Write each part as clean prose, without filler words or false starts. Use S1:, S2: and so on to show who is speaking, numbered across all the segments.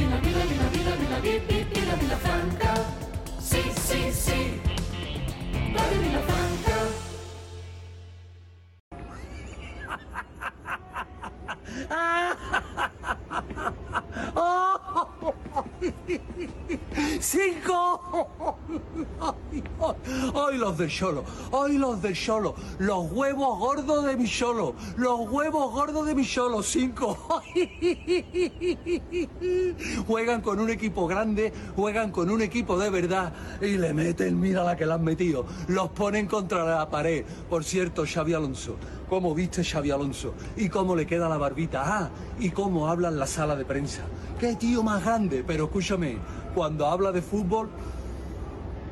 S1: la Vilafranca. Sí, sí, sí. Radio Vilafranca.
S2: ¡Cinco! ¡Ay, los del Xolo! ¡Ay, los del Xolo! ¡Los huevos gordos de mi Xolo! ¡Los huevos gordos de mi Xolo! ¡Cinco! Juegan con un equipo grande, juegan con un equipo de verdad y le meten, mira la que le han metido. Los ponen contra la pared. Por cierto, Xavi Alonso, ¿cómo viste Xavi Alonso? ¿Y cómo le queda la barbita? Ah, y cómo habla en la sala de prensa. ¡Qué tío más grande! Pero escúchame, cuando habla de fútbol,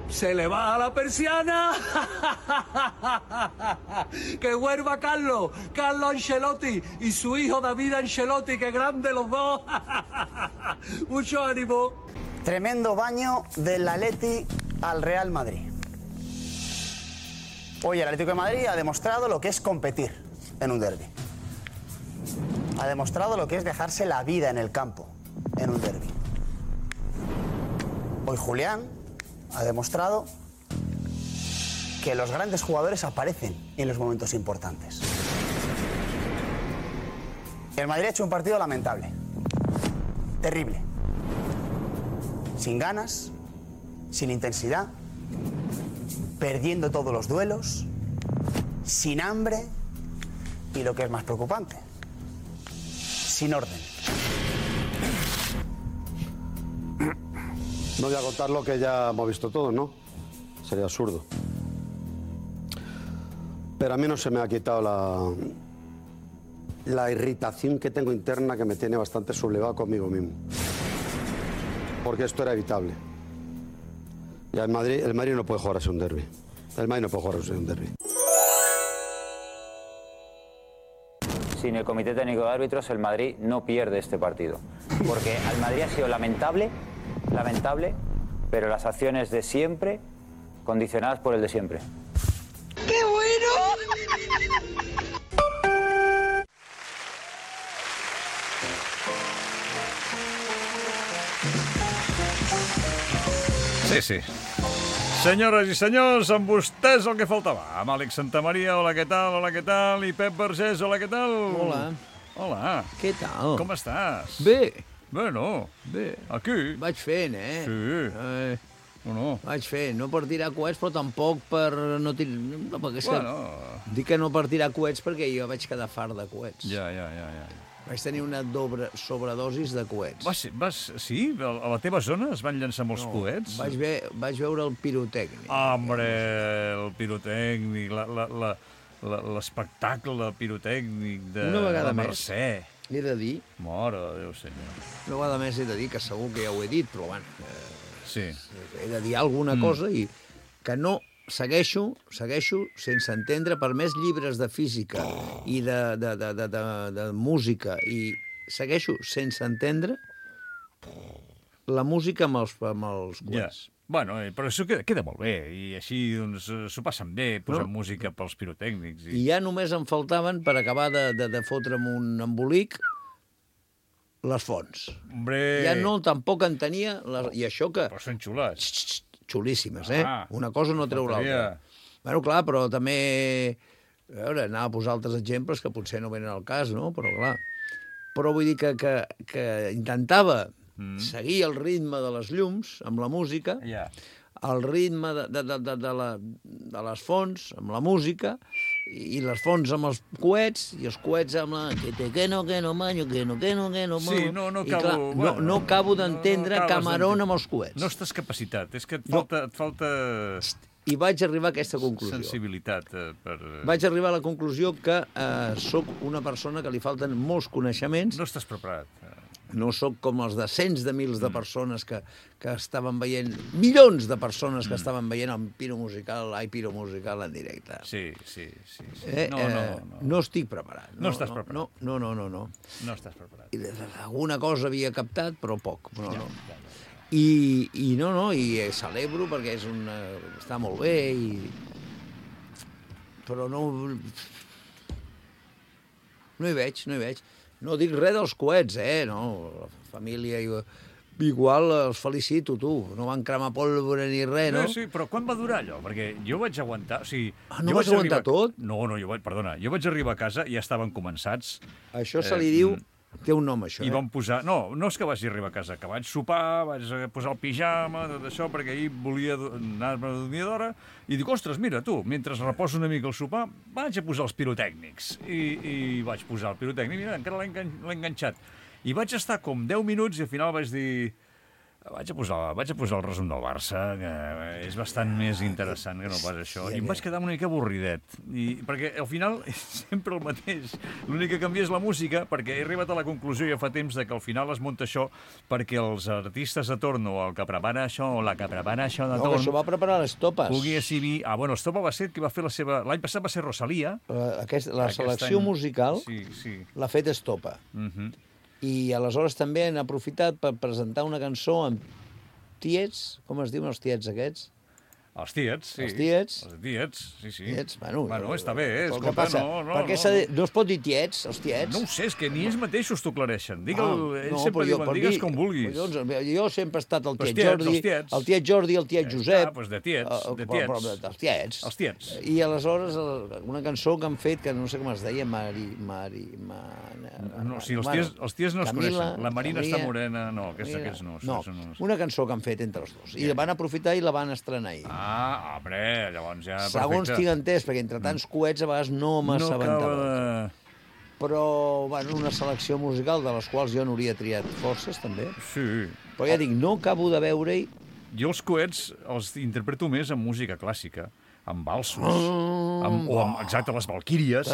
S2: se le baja la persiana. ¡Que vuelva Carlo Ancelotti y su hijo David Ancelotti! ¡Qué grande los dos! Mucho ánimo.
S3: Tremendo baño del Atleti al Real Madrid. Hoy el Atlético de Madrid ha demostrado lo que es competir en un derbi. Ha demostrado lo que es dejarse la vida en el campo en un derbi. Hoy Julián ha demostrado que los grandes jugadores aparecen en los momentos importantes. El Madrid ha hecho un partido lamentable, terrible, sin ganas, sin intensidad, perdiendo todos los duelos, sin hambre y, lo que es más preocupante, sin orden.
S4: No voy a contar lo que ya hemos visto todos, ¿no? Sería absurdo. Pero a mí no se me ha quitado la irritación que tengo interna, que me tiene bastante sublevado conmigo mismo. Porque esto era evitable. Y el Madrid no puede jugar así un derbi. El Madrid no puede jugar así un derbi.
S5: Sin el Comité Técnico de Árbitros, el Madrid no pierde este partido. Porque al Madrid ha sido lamentable, pero las acciones de siempre condicionadas por el de siempre.
S1: ¡Qué bueno!
S6: Sí, sí. Senyores i senyors, amb vostès el que faltava. Amb Àlex Santamaria, hola, què tal? Hola, què tal? I Pep Vergés, hola, què tal?
S7: Hola.
S6: Hola.
S7: Què tal?
S6: Com estàs?
S7: Bé.
S6: Bueno.
S7: Bé.
S6: Aquí.
S7: Vaig fent,
S6: Sí. No.
S7: Vaig fent, no per tirar coets, però tampoc per no tirar... No, perquè és
S6: Bueno.
S7: que... Dic que no per tirar coets perquè jo vaig quedar fart de coets.
S6: Ja.
S7: Vaig tenir una sobredosis de coets.
S6: Sí? A la teva zona es van llançar molts coets?
S7: Vaig veure el pirotècnic.
S6: Hombre, el pirotècnic, l'espectacle pirotècnic de la Mercè.
S7: He de dir...
S6: Mare de Déu, senyor.
S7: Una vegada més he de dir, que segur que ja ho he dit, però bueno...
S6: Sí.
S7: He de dir alguna cosa i que no... Segueixo sense entendre, per més llibres de física i de música, i segueixo sense entendre la música amb els coets.
S6: Ja. Bueno, però això queda molt bé, i així doncs s'ho passen bé, posant música pels pirotècnics.
S7: I ja només em faltaven, per acabar de fotre'm un embolic, les fonts.
S6: Hombre!
S7: Ja no, tampoc entenia... I això que...
S6: Però són xulats.
S7: Xulíssimes, Una cosa no treu l'altra. Bueno, clar, però també... A veure, anava a posar altres exemples que potser no venen al cas, no? Però, clar... Però vull dir que intentava seguir el ritme de les llums amb la música, el ritme de les fonts amb la música, i les fonts amb els coets, i els coets amb la... Que no, manyo, que no.
S6: Sí,
S7: no acabo d'entendre Camarón amb els coets.
S6: No estàs capacitat, és que et falta...
S7: I vaig arribar a aquesta conclusió.
S6: Sensibilitat per...
S7: Vaig arribar a la conclusió que sóc una persona que li falten molts coneixements.
S6: No estàs preparat.
S7: No sóc com els de cents de mils de persones que estaven veient, milions de persones que estaven veient el Piro Musical en directe.
S6: Sí.
S7: No estic preparat.
S6: No estàs preparat.
S7: No.
S6: No estàs preparat.
S7: Alguna cosa havia captat, però poc. I celebro perquè està molt bé, però no hi veig. No dic res dels coets, no, la família igual els felicito, tu. No van cremar pólvora ni res, no?
S6: Sí, però quan va durar allò? Perquè jo vaig aguantar... O sigui,
S7: no
S6: jo
S7: vas aguantar tot?
S6: No, perdona. Jo vaig arribar a casa i ja estaven començats.
S7: Això se li diu... Té un nom, això,
S6: I van posar... No és que vagi arribar a casa, que vaig sopar, vaig posar el pijama, tot això, perquè ahir volia anar-me a dormir d'hora, i dic, ostres, mira, tu, mentre reposo una mica el sopar, vaig a posar els pirotècnics. I vaig posar el pirotècnic, mira, encara l'he enganxat. I vaig estar com 10 minuts i al final vaig dir... Vaig a posar el resum del Barça, que és bastant més interessant que no pas això. I em vaig quedar una mica avorridet. Perquè al final és sempre el mateix. L'únic que canvia és la música, perquè he arribat a la conclusió ja fa temps que al final es munta això perquè els artistes de torn o el que prepara això o la que prepara això de torn...
S7: No, això va preparar les topes.
S6: Pugui exhibir... Estopa va ser qui va fer la seva... L'any passat va ser Rosalia.
S7: La selecció musical l'ha fet Estopa. I aleshores també han aprofitat per presentar una cançó amb tiets, com es diuen els tiets aquests?
S6: Els tiets, sí.
S7: Els tiets.
S6: Els tiets, sí.
S7: Tiets,
S6: bueno, està bé,
S7: escolta, passa? No es pot dir tiets, els tiets?
S6: No ho sé, és que ni ells mateixos t'ho aclareixen. Ells sempre diuen, digues com vulguis.
S7: Jo sempre he estat el tiet Jordi, el tiet Jordi, el tiet Josep.
S6: Doncs de tiets.
S7: Els tiets.
S6: Els tiets.
S7: I aleshores una cançó que han fet, que no sé com es deia,
S6: No, si els ties no es coneixen. La Marina està morena, no, aquests no.
S7: No, una cançó que han fet entre els dos. I la van aprofitar i la van estrenar ahir.
S6: Home, llavors ja...
S7: Segons tinc entès, perquè entre tants coets a vegades no m'assabentava. Però, bueno, una selecció musical de les quals jo n'hauria triat forces, també.
S6: Sí.
S7: Però ja dic, no acabo de veure-hi...
S6: Jo els coets els interpreto més en música clàssica, amb valsos, exacte, les valquíries.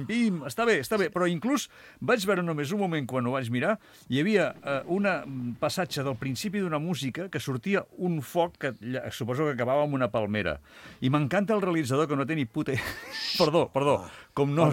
S6: Pim, està bé, però inclús vaig veure només un moment quan ho vaig mirar, hi havia un passatge del principi d'una música que sortia un foc que suposo que acabava amb una palmera. I m'encanta el realitzador que no té ni puta... Perdó, com no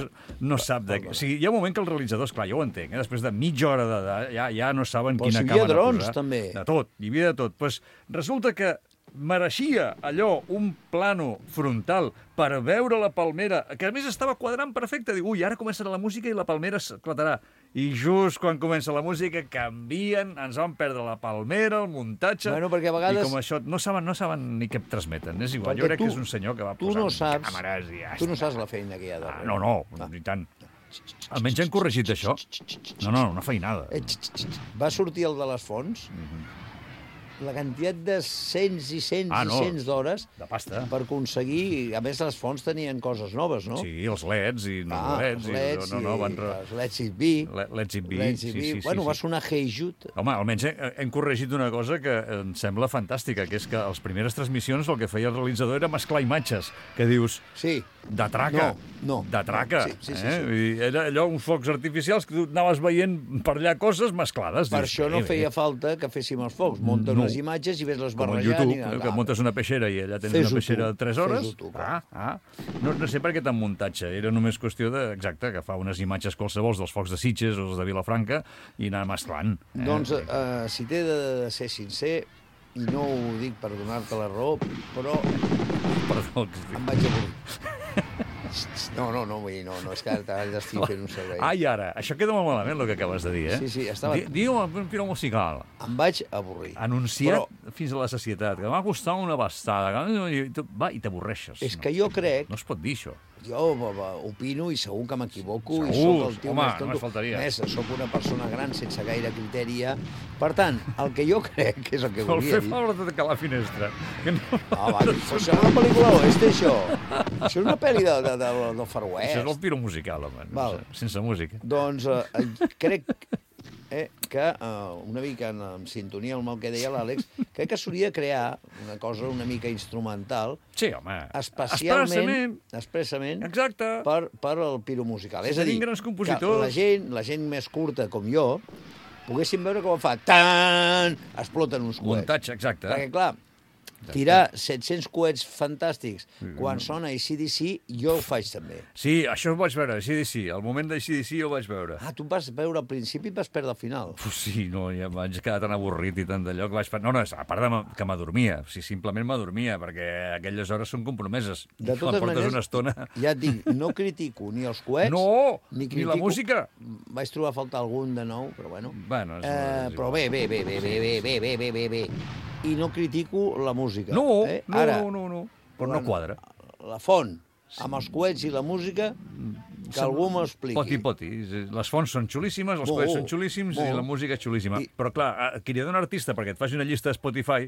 S6: sap de què. O sigui, hi ha un moment que el realitzador, esclar, jo ho entenc, després de mitja hora ja no saben quina càmera posar.
S7: Però hi havia drons, també.
S6: De tot, hi havia de tot. Pues resulta que mereixia allò un plano frontal per veure la palmera, que a més estava quadrant perfecte. Diu, ara començarà la música i la palmera esclatarà. I just quan comença la música canvien, ens van perdre la palmera, el muntatge...
S7: Bueno, perquè a vegades...
S6: I com això no saben ni què transmeten. És igual, jo crec que és un senyor que va posar càmeres i ja està.
S7: Tu no saps la feina que hi ha darrere.
S6: No, ni tant. Almenys han corregit això. No, una feinada.
S7: Va sortir el de les fonts... la quantitat de cents i cents d'hores
S6: de pasta
S7: per aconseguir... A més, les fonts tenien coses noves, no?
S6: Sí, els LEDs i
S7: els Let's It Be.
S6: Let's It Be, sí.
S7: Bueno, va sonar Hey Jude.
S6: Home, almenys hem corregit una cosa que em sembla fantàstica, que és que a les primeres transmissions el que feia el realitzador era mesclar imatges, que dius...
S7: Sí.
S6: De traca.
S7: No.
S6: De traca.
S7: Sí.
S6: I era allò, uns focs artificials que tu anaves veient per allà coses mesclades.
S7: Per això no feia falta que féssim els focs. Munten unes imatges i ves les barrejant.
S6: Com en YouTube, que muntes una peixera i allà tens una peixera de 3 hores. No sé per què tant muntatge. Era només qüestió de, exacte, agafar unes imatges qualsevols dels focs de Sitges o els de Vilafranca i anar mesclant.
S7: Doncs, si t'he de ser sincer, i no ho dic per donar-te la raó, però em vaig avorrir. No, és que ara t'estic fent un servei.
S6: I ara, això queda molt malament, el que acabes de dir, eh?
S7: Sí, estava...
S6: Digue-me un final musical.
S7: Em vaig avorrir.
S6: Anunciat fins a la sacietat, que m'ha costat una bastada. Va, i t'avorreixes.
S7: És que jo crec...
S6: No es pot dir, això.
S7: Jo opino i segur que m'equivoco.
S6: Segur, home, només faltaria.
S7: Més, soc una persona gran sense gaire criteri. Per tant, el que jo crec és el que volia dir...
S6: El fer favor de tancar la finestra.
S7: Això és una pel·lícula oeste, això. Això és una pel·li del Far West.
S6: Això és el piro musical, home, sense música.
S7: Doncs crec que, una mica en sintonia amb el que deia l'Àlex, crec que s'hauria de crear una cosa una mica instrumental,
S6: sí, home,
S7: expressament
S6: exacte,
S7: per al piro musical. És a dir,
S6: grans compositors,
S7: que la gent més curta com jo poguéssim veure com fa tan, exploten uns coets.
S6: Muntatge, exacte.
S7: Perquè, clar, tirar 700 coets fantàstics quan sona AC/DC, jo ho faig també.
S6: Sí, això ho vaig veure, AC/DC. El moment d'AC/DC ho vaig veure.
S7: Ah, tu vas veure al principi i vas perdre al final.
S6: Sí, no, ja vaig quedar tan avorrit i tant d'allò que vaig... No, a part que m'adormia, simplement m'adormia, perquè aquelles hores són compromeses.
S7: De totes maneres,
S6: una estona...
S7: ja et dic, no critico ni els coets,
S6: ni la música.
S7: Vaig trobar a faltar algun de nou, però bueno. Però bé. I no critico la música.
S6: No. Però no quadra.
S7: La font, amb els coets i la música, que algú m'ho expliqui.
S6: Poti. Les fonts són xulíssimes, els coets són xulíssims i la música és xulíssima. Però clar, qui li ha d'un artista perquè et faci una llista de Spotify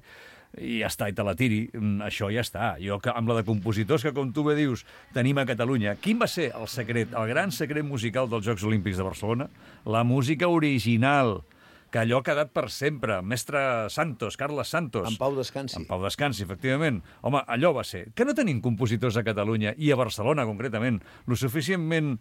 S6: i ja està, i te la tiri, això ja està. Jo, amb la de compositors que, com tu bé dius, tenim a Catalunya, quin va ser el secret, el gran secret musical dels Jocs Olímpics de Barcelona? La música original, que allò ha quedat per sempre. Mestre Santos, Carles Santos.
S7: En pau descansi.
S6: En pau descansi, efectivament. Home, allò va ser. Que no tenim compositors a Catalunya, i a Barcelona, concretament, lo suficientment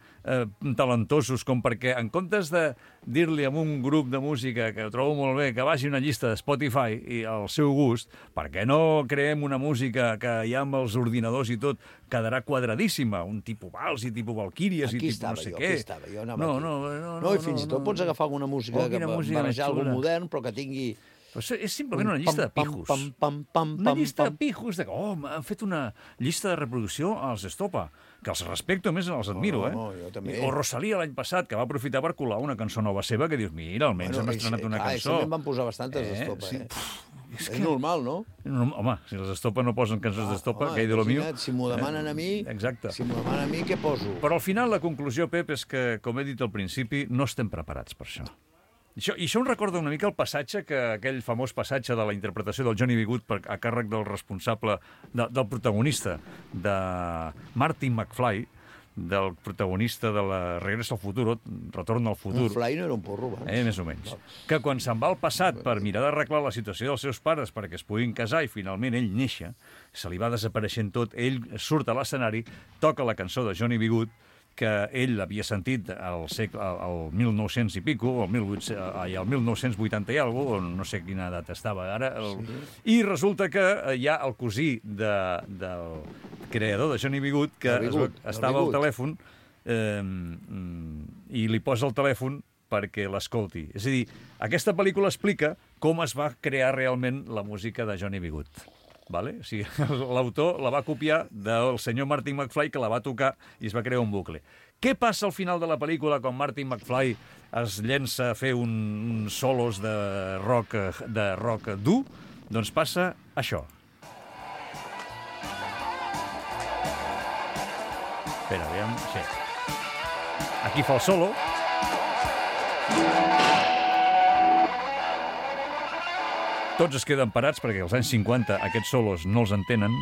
S6: talentosos com perquè, en comptes de dir-li a un grup de música que ho trobo molt bé, que vagi una llista de Spotify i al seu gust, per què no creem una música que ja amb els ordinadors i tot quedarà quadradíssima? Un tipus vals i tipus valquíries i tipus no sé què.
S7: Aquí estava jo. No, i fins i tot pots agafar alguna música que barrejar algun modern, però que tingui...
S6: És simplement una llista de pijos. Una llista de pijos. Han fet una llista de reproducció als Estopa, que els respecto, a més els admiro,
S7: jo també.
S6: O Rosalía l'any passat, que va aprofitar per colar una cançó nova seva, que dius, mira, almenys hem estrenat una cançó.
S7: També en van posar bastantes d'Estopa, És normal, no?
S6: Home, si els Estopa no posen cançons d'Estopa, que hi de lo mío...
S7: Si m'ho demanen a mi, què poso?
S6: Però al final la conclusió, Pep, és que, com he dit al principi, no estem preparats per això. I això em recorda una mica el passatge, aquell famós passatge de la interpretació del Johnny B. Goode a càrrec del responsable, del protagonista, de Martin McFly, del protagonista de la Regreso al Futuro, Retorn al Futur.
S7: McFly no era un porro,
S6: Més o menys. Que quan se'n va al passat per mirar d'arreglar la situació dels seus pares perquè es puguin casar i finalment ell néixer, se li va desapareixent tot, ell surt a l'escenari, toca la cançó de Johnny B. Goode, que ell havia sentit al 1900 i pico, al 1980 i alguna cosa, no sé quina data estava ara, i resulta que hi ha el cosí del creador de Johnny B. Goode, que estava al telèfon i li posa el telèfon perquè l'escolti. És a dir, aquesta pel·lícula explica com es va crear realment la música de Johnny B. Goode. Vale? O sigui, l'autor la va copiar del senyor Martin McFly, que la va tocar i es va crear un bucle. Què passa al final de la pel·lícula quan Martin McFly es llença a fer uns solos de rock dur? Doncs passa això. Espera, aviam... Sí. Aquí fa el solo. Tots es queden parats perquè als anys 50 aquests solos no els entenen.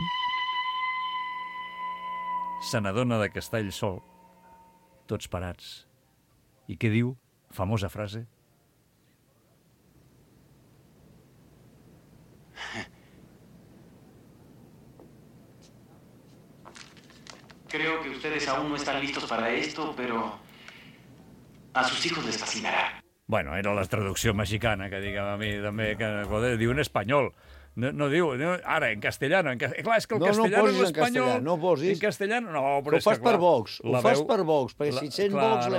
S6: Se n'adona que està ell sol, tots parats. I què diu? Famosa frase.
S8: Creo que ustedes aún no están listos para esto, pero a sus hijos les fascinará.
S6: Bueno, era la traducció mexicana, que diguem a mi també, que joder, diu en espanyol. No diu, ara, en castellano. Clar, és que el castellano i l'espanyol...
S7: No posis.
S6: En castellano, no,
S7: però és que, clar... Ho fas per Vox, perquè si sent Vox...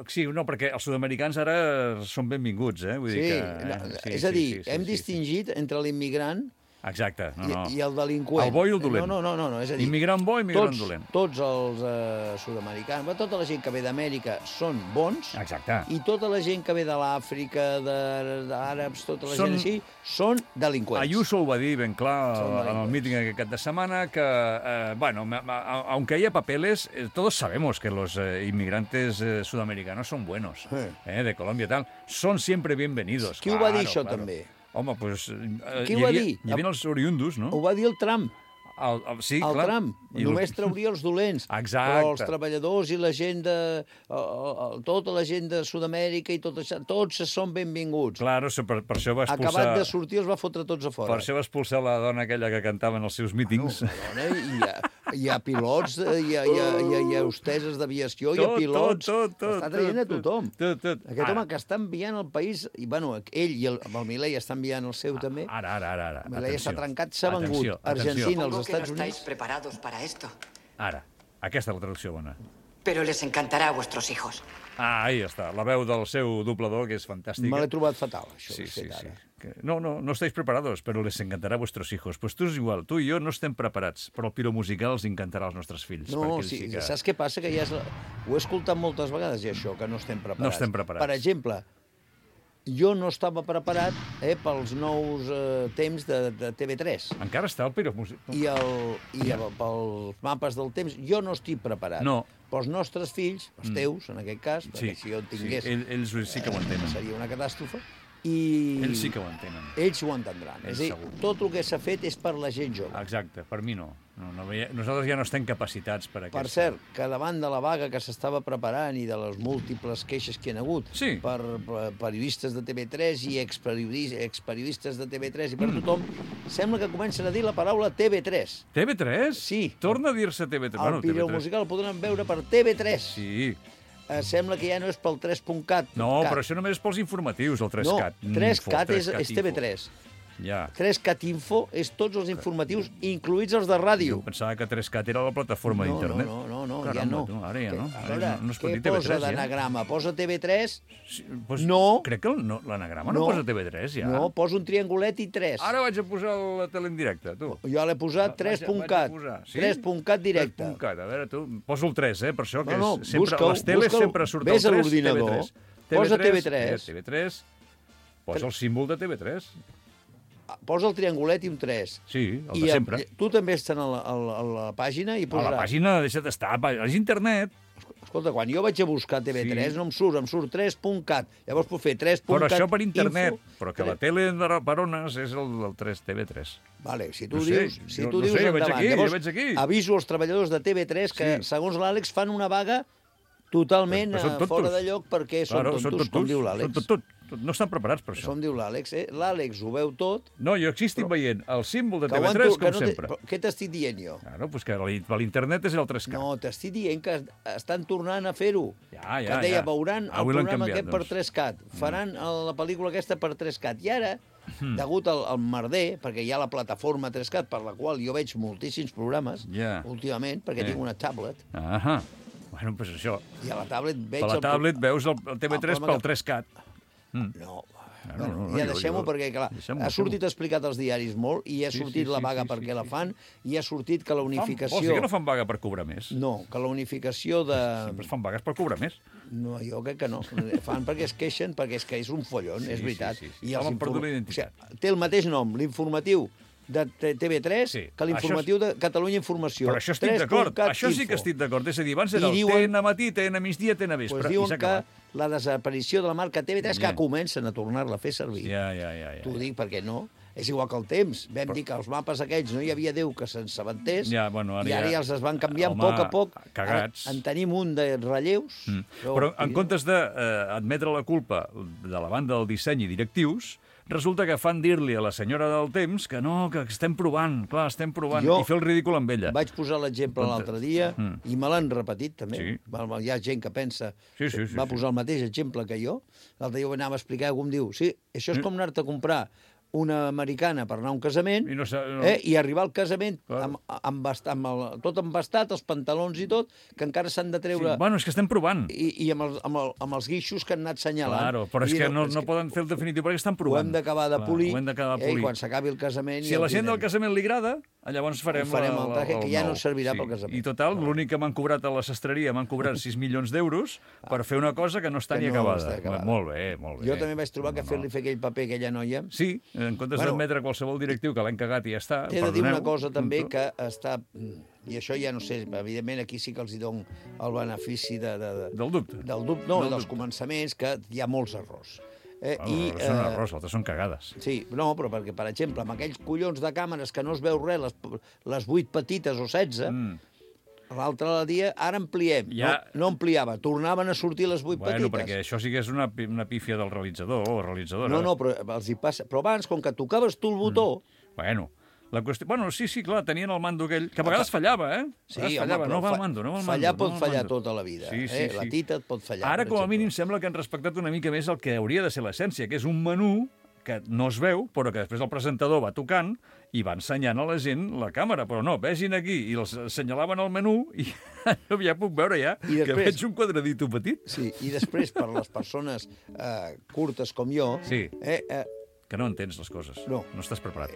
S6: Sí, no, perquè els sud-americans ara són benvinguts, vull dir que...
S7: És a dir, hem distingit entre l'immigrant...
S6: Exacte,
S7: i el delinqüent.
S6: El bo i el dolent.
S7: No, és a dir...
S6: Immigrant bo i immigrant dolent.
S7: Tots els sud-americans, tota la gent que ve d'Amèrica són bons.
S6: Exacte.
S7: I tota la gent que ve de l'Àfrica, d'àrabs, tota la gent així, són delinqüents.
S6: Ayuso ho va dir ben clar en el míting aquest cap de setmana, que, bueno, aunque haya papeles, todos sabemos que los inmigrantes sudamericanos son buenos, de Colombia y tal. Son siempre bienvenidos.
S7: Qui ho va dir, això, també?
S6: Home, doncs...
S7: Qui ho va dir?
S6: Hi havia els oriundos, no?
S7: Ho va dir el Trump.
S6: Sí,
S7: el
S6: clar.
S7: Trump. Només trauria els dolents.
S6: Exacte.
S7: Però els treballadors i la gent de... tota la gent de Sud-amèrica i tot això, tots són benvinguts.
S6: Claro, per això va expulsar...
S7: Acabat de sortir els va fotre tots a fora.
S6: Per això va expulsar la dona aquella que cantava en els seus mítings.
S7: Una dona hi ha pilots, hi ha hosteses d'aviació, hi ha pilots...
S6: Tot.
S7: Està traient a tothom.
S6: Tot.
S7: Aquest home que està enviant al país... I, bueno, ell i el Milei està enviant el seu, també.
S6: Ara.
S7: Milei està trencat, s'ha vengut. Argentina, als
S1: Supongo que no
S7: Estats
S1: estáis
S7: Units...
S1: preparados para esto.
S6: Ara. Aquesta és la traducció bona.
S1: Pero les encantará a vuestros hijos.
S6: Ahí està. La veu del seu doblador, que és fantàstica.
S7: Me l'he trobat fatal, això.
S6: Sí. No estáis preparados, pero les encantará a vuestros hijos. Pues tu és igual, tu i jo no estem preparats, però el piro musical els encantarà als nostres fills.
S7: No, sí, saps què passa? Que ja ho he escoltat moltes vegades, i això, que no estem preparats.
S6: No estem preparats.
S7: Per exemple, jo no estava preparat pels nous temps de TV3.
S6: Encara està el piro musical?
S7: I pels mapes del temps, jo no estic preparat.
S6: No.
S7: Pels nostres fills, els teus, en aquest cas, perquè si jo en tingués...
S6: Sí, ells sí que ho entenen.
S7: Seria una catàstrofe.
S6: Ells sí que ho entenen.
S7: Ells ho entendran. És a dir, tot el que s'ha fet és per la gent jove.
S6: Exacte, per mi no. Nosaltres ja no estem capacitats per aquesta.
S7: Per cert, que davant de la vaga que s'estava preparant i de les múltiples queixes que hi ha hagut per periodistes de TV3 i experiodistes de TV3 i per tothom, sembla que comencen a dir la paraula TV3.
S6: TV3?
S7: Sí.
S6: Torna a dir-se TV3.
S7: El Pireu Musical el podran veure per TV3.
S6: Sí.
S7: Sembla que ja no és pel 3.cat.
S6: No, però això només és pels informatius, el 3cat.
S7: No, 3cat és TV3.
S6: Ja.
S7: 3cat Info és tots els informatius, incluïts els de ràdio.
S6: Jo pensava que 3cat era la plataforma d'internet.
S7: No,
S6: caramba,
S7: ja no.
S6: Ara ja no.
S7: A veure,
S6: no es pot
S7: què
S6: dir TV3,
S7: posa d'anagrama? Posa TV3?
S6: Sí, pues,
S7: no.
S6: Crec que l'anagrama no posa TV3, ja.
S7: No, posa un triangulet i 3.
S6: Ara vaig a posar la tele en directe, tu.
S7: Jo l'he posat 3.cat. 3.cat directe.
S6: 3.cat, a veure, tu, poso el 3, per això, que
S7: no,
S6: sempre, les teles sempre surt el 3,
S7: vés a l'ordinador, posa TV3.
S6: TV3, posa el símbol de TV3.
S7: Posa el triangulet i un 3.
S6: Sí, el de sempre.
S7: Tu també estàs a la pàgina i posaràs...
S6: A la pàgina deixa d'estar, és internet.
S7: Escolta, quan jo vaig a buscar TV3 no em surt 3.cat. Llavors puc fer 3.cat...
S6: Però això per internet, però que la tele per ones és el 3 TV3.
S7: Vale, si tu dius endavant. Llavors aviso als treballadors de TV3 que, segons l'Àlex, fan una vaga totalment fora de lloc perquè són tontos, com diu l'Àlex.
S6: No estan preparats per això.
S7: Com diu l'Àlex, l'Àlex ho veu tot...
S6: No, jo aquí estic veient el símbol de TV3 com sempre.
S7: Què t'estic dient jo?
S6: Claro, pues que l'internet és el 3K.
S7: No, t'estic dient que estan tornant a fer-ho.
S6: Que
S7: deia, veuran el programa aquest per 3Cat, faran la pel·lícula aquesta per 3Cat. I ara, degut al merder, perquè hi ha la plataforma 3Cat, per la qual jo veig moltíssims programes, últimament, perquè tinc una tablet.
S6: Bueno, pues això.
S7: I a la tablet veig...
S6: Per la tablet veus el TV3 pel 3Cat.
S7: No, ja deixem-ho perquè, clar, ha sortit explicat als diaris molt i ha sortit la vaga perquè la fan i ha sortit que la unificació...
S6: Vols dir que no fan vaga per cobrar més?
S7: No, que la unificació de...
S6: Sempre fan vagues per cobrar més.
S7: No, jo crec que no. Fan perquè es queixen, perquè és que és un follon, és veritat.
S6: I els perdut la identitat.
S7: Té el mateix nom, l'informatiu de TV3 que l'informatiu de Catalunya Informació.
S6: Però això estic d'acord, això sí que estic d'acord. És a dir, abans era el TN matí, TN migdia, TN vespre.
S7: Diuen que la desaparició de la marca TV3 que comencen a tornar-la a fer servir.
S6: Ja.
S7: T'ho dic perquè no. És igual que el temps. Vam dir que els mapes aquells no hi havia Déu que se'n sabentés i ara ja els es van canviant a poc.
S6: Cagats.
S7: En tenim un de relleus.
S6: Però en comptes d'admetre la culpa de la banda del disseny i directius, resulta que fan dir-li a la senyora del temps que no, que estem provant, clar, estem provant, i fer el ridícul amb ella.
S7: Vaig posar l'exemple l'altre dia i me l'han repetit, també. Hi ha gent que pensa... Va posar el mateix exemple que jo. L'altre dia ho anava a explicar i algú em diu això és com anar-te a comprar una americana per anar a un casament i arribar al casament tot embastat, els pantalons i tot, que encara s'han de treure...
S6: Bueno, és que estem provant.
S7: I amb els guixos que han anat senyalant.
S6: Claro, però és que no poden fer el definitiu perquè estan provant.
S7: Ho hem d'acabar de polir i quan s'acabi el casament...
S6: Si a la gent del casament li agrada, llavors farem
S7: el traje, que ja no servirà pel casament.
S6: I total, l'únic que m'han cobrat a la sastreria, m'han cobrat 6 milions d'euros per fer una cosa que no està ni acabada. Molt bé.
S7: Jo també vaig trobar que fer-li fer aquell paper a aquella noia...
S6: Sí, en comptes d'admetre qualsevol directiu que l'han cagat i ja està...
S7: T'he de dir una cosa també que està... I això ja no sé, evidentment aquí sí que els hi dono el benefici
S6: del dubte.
S7: Dels començaments, que hi ha molts errors.
S6: Són errors, altres són cagades.
S7: Sí, no, però perquè, per exemple, amb aquells collons de càmeres que no es veu res, les 8 petites o 16... L'altre dia, ara ampliem. No ampliava, tornaven a sortir les 8 petites.
S6: Bueno, perquè això sí que és una pífia del realitzador o realitzadora.
S7: No, però els hi passa. Però abans, com que tocaves tu el botó...
S6: Bueno, La qüestió... Bueno, sí, clar, tenien el mando aquell, que a vegades fallava, eh?
S7: Sí,
S6: fallava, no va al mando,
S7: fallar pot fallar tota la vida.
S6: Sí.
S7: La tita et pot fallar.
S6: Ara, com a mínim, sembla que han respectat una mica més el que hauria de ser l'essència, que és un menú que no es veu, però que després el presentador va tocant i va ensenyant a la gent la càmera. Però no, vegin aquí, i els assenyalaven el menú i ja puc veure que veig un quadradito petit.
S7: Sí, i després, per les persones curtes com jo,
S6: sí. Que no entens les coses. No estàs preparat.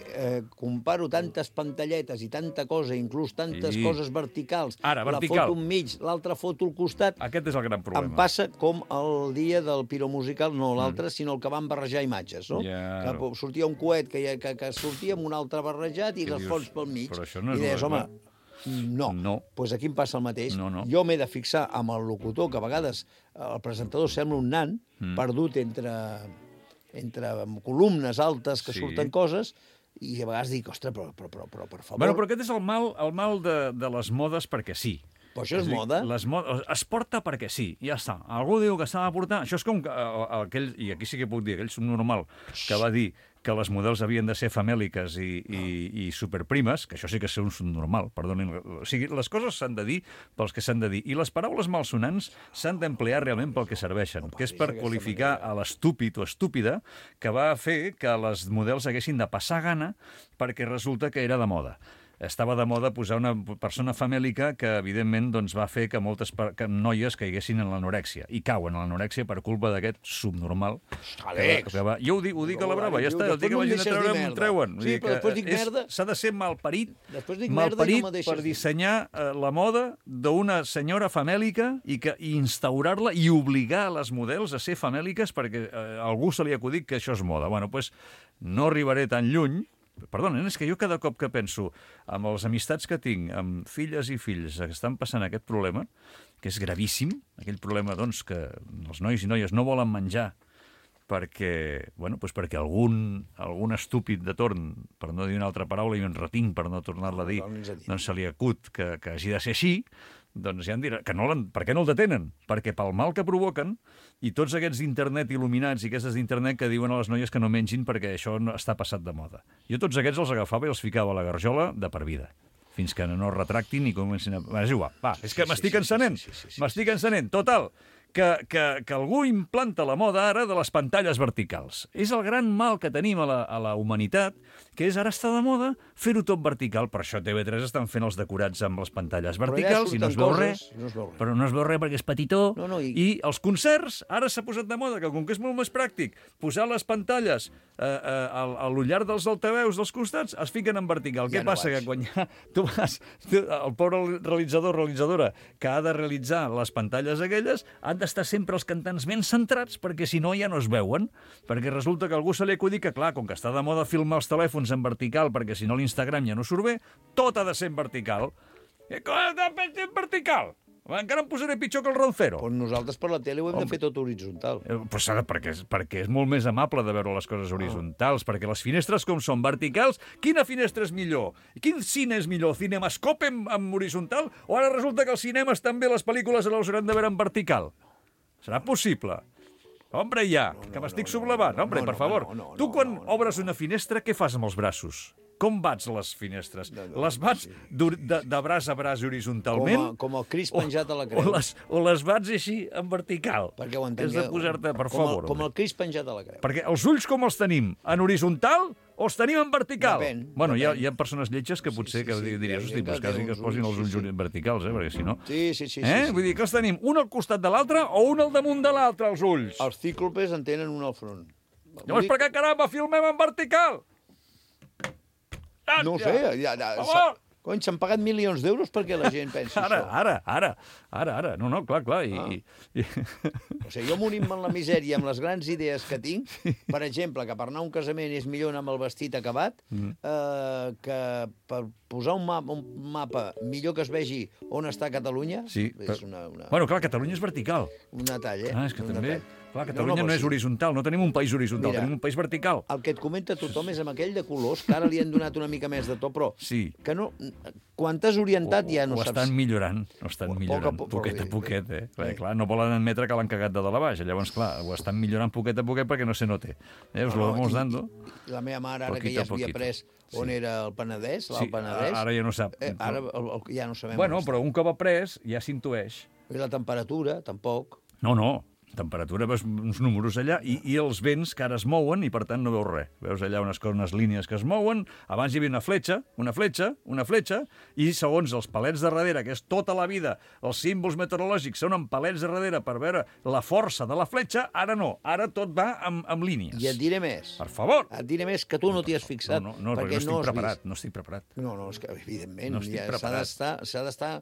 S7: Comparo tantes pantalletes i tanta cosa, inclús tantes coses verticals.
S6: Ara, vertical.
S7: La foto enmig, l'altra foto al costat.
S6: Aquest és el gran problema.
S7: Em passa com el dia del piromusical, no l'altre, sinó el que van barrejar imatges, no?
S6: Ja,
S7: que sortia un coet que sortia amb un altre barrejat i les fonts pel mig.
S6: Però això no és...
S7: I deies, home, no. Pues aquí em passa el mateix.
S6: No.
S7: Jo m'he de fixar amb el locutor, que a vegades el presentador sembla un nan perdut entre columnes altes que surten coses, i a vegades dic, ostres, però per favor...
S6: Bueno, però aquest és el mal de les modes perquè sí.
S7: Però això és moda?
S6: Es porta perquè sí, ja està. Algú diu que s'ha de portar... Això és com aquell, i aquí sí que puc dir, aquell subnormal que va dir que les models havien de ser famèliques i superprimes, que això sí que és un subnormal, perdonin. O sigui, les coses s'han de dir pels que s'han de dir, i les paraules malsonants s'han d'emplear realment pel que serveixen, que és per qualificar a l'estúpid o estúpida que va fer que les models haguessin de passar gana perquè resulta que era de moda. Estava de moda posar una persona famèlica que, evidentment, doncs, va fer que moltes noies caiguessin en l'anorèxia. I cauen en l'anorèxia per culpa d'aquest subnormal. Jo ho dic a la brava, ja està. El dia que vagin a treure, m'ho treuen.
S7: Sí, però després dic merda.
S6: S'ha de ser malparit per dissenyar la moda d'una senyora famèlica i instaurar-la i obligar les models a ser famèliques perquè a algú se li ha acudit que això és moda. Bueno, doncs no arribaré tan lluny. Perdonen, és que jo cada cop que penso amb les amistats que tinc, amb filles i fills que estan passant aquest problema, que és gravíssim, aquell problema doncs, que els nois i noies no volen menjar perquè algun estúpid de torn, per no dir una altra paraula, i un retinc per no tornar-la a dir, doncs se li acut que hagi de ser així, doncs ja em dirà, per què no el detenen? Perquè pel mal que provoquen, i tots aquests d'internet il·luminats i aquestes d'internet que diuen a les noies que no mengin perquè això està passat de moda. Jo tots aquests els agafava i els ficava a la garjola de per vida, fins que no es retractin i comencin a... És igual, és que m'estic encenent. Total, que algú implanta la moda ara de les pantalles verticals. És el gran mal que tenim a la humanitat, que és ara està de moda fer-ho tot vertical. Per això TV3 estan fent els decorats amb les pantalles verticals i no es veu res. Però no es veu res perquè és petitó. I els concerts, ara s'ha posat de moda, que com que és molt més pràctic, posar les pantalles a l'ullar dels altaveus dels costats, es fiquen en vertical. Què passa? Que quan tu vas... El pobre realitzadora que ha de realitzar les pantalles aquelles, han d'estar sempre els cantants ben centrats perquè si no ja no es veuen, perquè resulta que algú se li acudit que, clar, com que està de moda filmar els telèfons en vertical perquè si no l'Instagram ja no surt bé, tot ha de ser en vertical. Com ha de ser en vertical? Encara em posaré pitjor que el Roncero.
S7: Doncs nosaltres per la tele ho hem de fer tot horitzontal.
S6: Perquè és molt més amable de veure les coses horitzontals, perquè les finestres com són verticals, quina finestra és millor? Quin cine és millor? Cinemascope en horitzontal? O ara resulta que els cinemes també les pel·lícules les hauran de veure en vertical? Serà possible? Hombre, ja, que m'estic sublevant. Hombre, per favor. Tu quan obres una finestra, què fas amb els braços? Com bats les finestres? Les bats de braç a braç horitzontalment?
S7: Com el Cris penjat a la creu.
S6: O les bats així en vertical?
S7: Perquè ho entengueu.
S6: Has de posar-te, per favor.
S7: Com el Cris penjat a la creu.
S6: Perquè els ulls com els tenim? En horitzontal o els tenim en vertical?
S7: Depèn.
S6: Bueno, hi ha persones lletges que potser diries, hosti, pues quasi que es posin els ulls verticals, perquè si no...
S7: Sí.
S6: Vull dir que els tenim un al costat de l'altre o un al damunt de l'altre, els ulls?
S7: Els cíclopes en tenen un al front.
S6: Llavors per què caramba filmem en vertical?
S7: No ho sé, cony, s'han pagat milions d'euros perquè la gent pensi això.
S6: Ara. No, clar.
S7: O sigui, jo morim en la misèria amb les grans idees que tinc, per exemple, que per anar a un casament és millor anar amb el vestit acabat, que per posar un mapa millor que es vegi on està Catalunya, és una...
S6: Bueno, clar, Catalunya és vertical.
S7: Un detall,
S6: És que també... Clar, Catalunya no és horitzontal, no tenim un país horitzontal, tenim un país vertical.
S7: El que et comenta tothom és amb aquell de colors, que ara li han donat una mica més de to, però que no, quan t'has orientat ja no saps...
S6: Ho estan millorant, poquet a poquet, Clar, no volen admetre que l'han cagat de dalt a baix, llavors, clar, ho estan millorant poquet a poquet perquè no se note. Us lo vamos dando.
S7: La meva mare, ara que ja s'havia pres on era el Penedès, l'Alt Penedès...
S6: Ara ja no sap.
S7: Ara ja no sabem.
S6: Bueno, però un cop après ja s'intueix.
S7: I la temperatura, tampoc.
S6: No. Temperatura, veus uns números allà, i els vents que ara es mouen, i per tant no veus res. Veus allà unes línies que es mouen, abans hi havia una fletxa, i segons els palets de darrere, que és tota la vida, els símbols meteorològics són amb palets de darrere per veure la força de la fletxa, ara no, ara tot va amb línies.
S7: I et diré més.
S6: Per favor.
S7: Et diré més que tu no t'hi has fixat.
S6: No, perquè no estic preparat.
S7: No, és que evidentment s'ha d'estar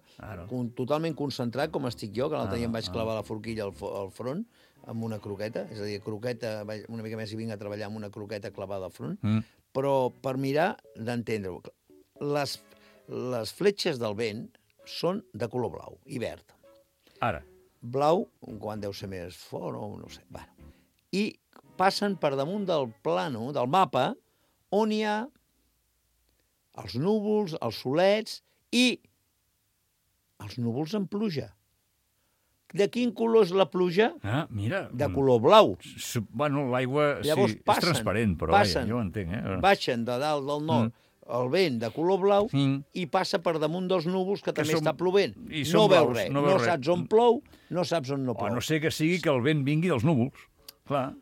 S7: totalment concentrat, com estic jo, que l'altre dia em vaig clavar la forquilla al front, amb una croqueta, és a dir, croqueta, una mica més i vinc a treballar amb una croqueta clavada al front, però per mirar d'entendre-ho. Les fletxes del vent són de color blau i verd.
S6: Ara.
S7: Blau, quan deu ser més fort, no sé. Bueno. I passen per damunt del plano, del mapa, on hi ha els núvols, els solets i els núvols amb pluja. De quin color és la pluja?
S6: Mira.
S7: De color blau.
S6: Bueno, l'aigua és transparent, però jo ho entenc.
S7: Baixen de dalt del nord el vent de color blau i passa per damunt dels núvols que també està plovent. No veus res. No saps on plou, no saps on no plou.
S6: A no ser que sigui que el vent vingui dels núvols. Clar,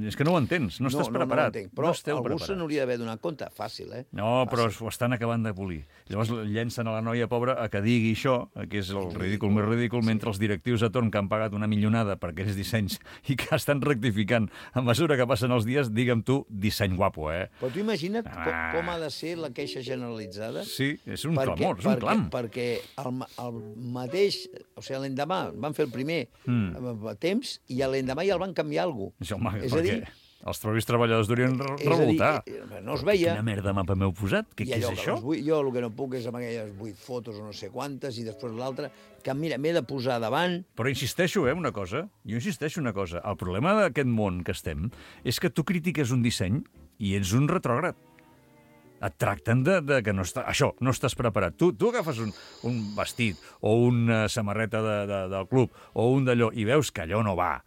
S6: és que no ho entens, no estàs preparat.
S7: No, però algú se n'hauria d'haver donat compte. Fàcil,
S6: No, però ho estan acabant de polir. Llavors llencen a la noia pobra a que digui això, que és el ridícul més ridícul, mentre els directius a torn que han pagat una millonada per aquells dissenys i que estan rectificant a mesura que passen els dies, digue'm tu, disseny guapo,
S7: Però tu imagina't com ha de ser la queixa generalitzada?
S6: Sí, és un clamor, és un clam.
S7: Perquè el mateix, o sigui, l'endemà van fer el primer temps i l'endemà ja el van canviar alguna cosa.
S6: Home, perquè els propis treballadors durien revoltar.
S7: No es veia.
S6: Quina merda mapa m'heu posat? Què és això?
S7: Jo el que no puc és amb aquelles 8 fotos o no sé quantes i després l'altra, que mira, m'he de posar davant.
S6: Però insisteixo, una cosa. El problema d'aquest món que estem és que tu critiques un disseny i ets un retrògrad. Et tracten de que no estàs preparat. Tu agafes un vestit o una samarreta del club o un d'allò i veus que allò no va,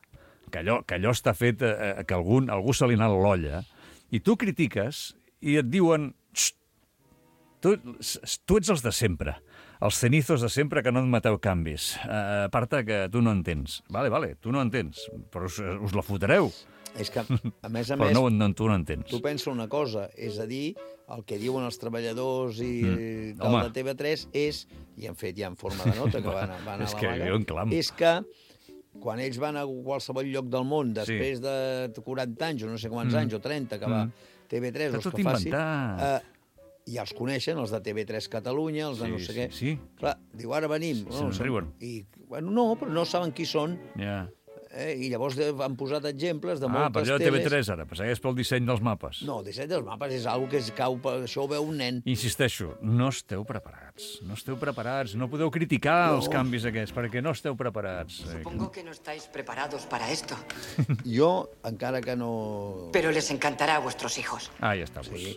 S6: que allò està fet, que algú se li ha anat l'olla, i tu critiques i et diuen tu ets els de sempre, els cenizos de sempre que no admeteu canvis. Aparta que tu no entens. Vale, tu no entens, però us la fotreu.
S7: És que, a més,
S6: però tu no entens.
S7: Tu pensa una cosa, és a dir, el que diuen els treballadors i del de TV3 és, i han fet ja en forma de nota, que van a la vaga, és que quan ells van a qualsevol lloc del món, després de 40 anys, o no sé quants anys, o 30, que va TV3, els que faci, ja els coneixen, els de TV3 Catalunya, els de no sé què. Clar, diu, ara venim.
S6: Se'n riuen.
S7: No, però no saben qui són.
S6: Ja.
S7: I llavors han posat exemples de moltes
S6: per allò de TV3 ara, segueix pel disseny dels mapes.
S7: No, el disseny dels mapes és una cosa que cau, això ho veu un nen.
S6: Insisteixo, no esteu preparats, no podeu criticar els canvis aquests, perquè no esteu preparats.
S1: Supongo que no estáis preparados para esto.
S7: Jo, encara que no...
S1: Pero les encantará a vuestros hijos.
S6: Ja està,
S7: pues.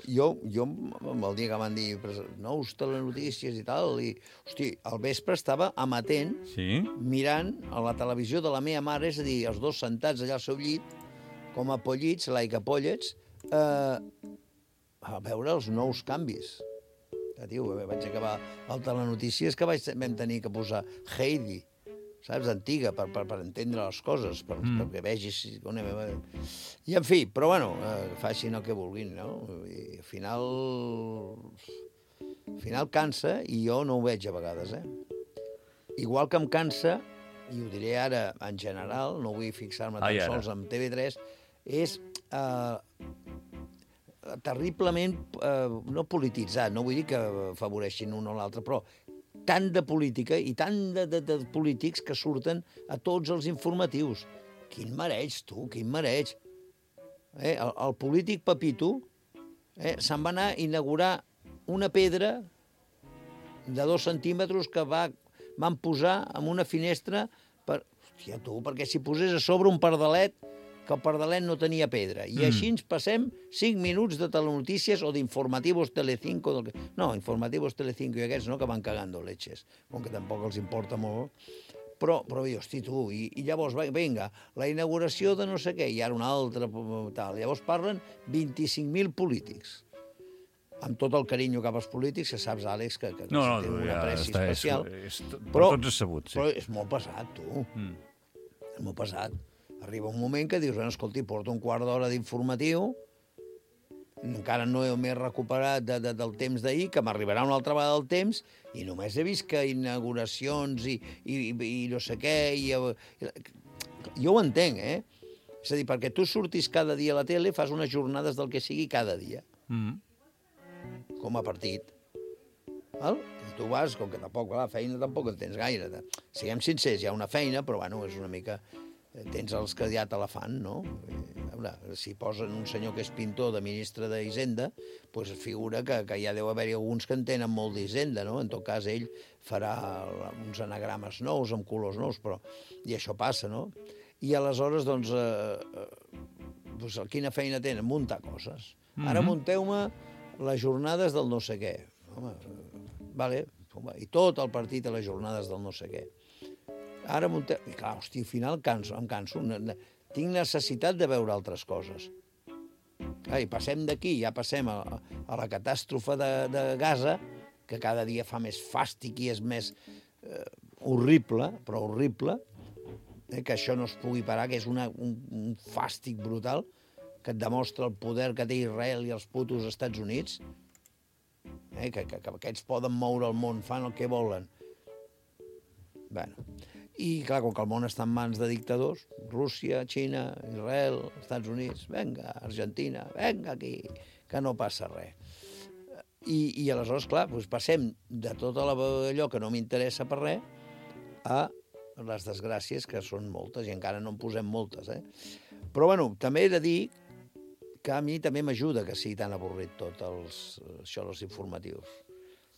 S7: Jo, el dia que van dir nous telenotícies i tal, i, hosti, al vespre estava amatent, mirant a la televisió de la meva mare, és a dir, els dos sentats allà al seu llit, com a pollits, like a pollets, a veure els nous canvis. Tio, vaig acabar el telenotícies que vam tenir que posar Heidi, saps, antiga, per entendre les coses, perquè vegis... I, en fi, però, bueno, facin el que vulguin, no? I al final cansa, i jo no ho veig a vegades, Igual que em cansa, i ho diré ara en general, no vull fixar-me tan sols en TV3, és terriblement, no polititzat, no vull dir que afavoreixin un o l'altre, però tant de política i tant de polítics que surten a tots els informatius. Quin mareig, tu, quin mareig. El polític Pepito se'n va anar a inaugurar una pedra de 2 centímetres que van posar en una finestra per... Hòstia, tu, perquè si posés a sobre un pardalet, que el pardalet no tenia pedra. I així ens passem 5 minuts de telenotícies o d'informativos Telecinco. No, informativos Telecinco i aquests no, que van cagando leches, com que tampoc els importa molt. Però hosti, tu, i llavors, vinga, la inauguració de no sé què, i ara una altra, tal. Llavors parlen 25.000 polítics. Amb tot el carinyo cap als polítics, que saps, Àlex, que té una pressi especial.
S6: Per tots és sabut, sí.
S7: Però és molt pesat, tu. És molt pesat. Arriba un moment que dius, bueno, escolti, porto un quart d'hora d'informatiu, encara no m'he recuperat del temps d'ahir, que m'arribarà una altra vegada del temps, i només he vist que inauguracions i no sé què... Jo ho entenc, És a dir, perquè tu surtis cada dia a la tele, fas unes jornades del que sigui cada dia. Com a partit. Val? I tu vas, com que tampoc, la feina tampoc en tens gaire. Siguem sincers, hi ha una feina, però bueno, és una mica... Tens els que ja te la fan, no? A veure, si posen un senyor que és pintor de ministre d'Hisenda, doncs figura que ja deu haver-hi alguns que en tenen molt d'Hisenda, no? En tot cas, ell farà uns anagrames nous, amb colors nous, però... I això passa, no? I aleshores, doncs, quina feina tenen? Muntar coses. Ara munteu-me les jornades del no sé què. Home, vale, i tot el partit a les jornades del no sé què. Ara munteu... I clar, hosti, al final em canso. Tinc necessitat de veure altres coses. I passem d'aquí, ja passem a la catàstrofe de Gaza, que cada dia fa més fàstic i és més horrible, però horrible, que això no es pugui parar, que és un fàstic brutal, que et demostra el poder que té Israel i els putos Estats Units, que aquests poden moure el món, fan el que volen. Bueno... I, clar, com que el món està en mans de dictadors, Rússia, Xina, Israel, Estats Units, venga, Argentina, venga aquí, que no passa res. I aleshores, clar, doncs passem de tot allò que no m'interessa per res a les desgràcies, que són moltes, i encara no en posem moltes, Però, bueno, també he de dir que a mi també m'ajuda que sigui tan avorrit tot això dels informatius.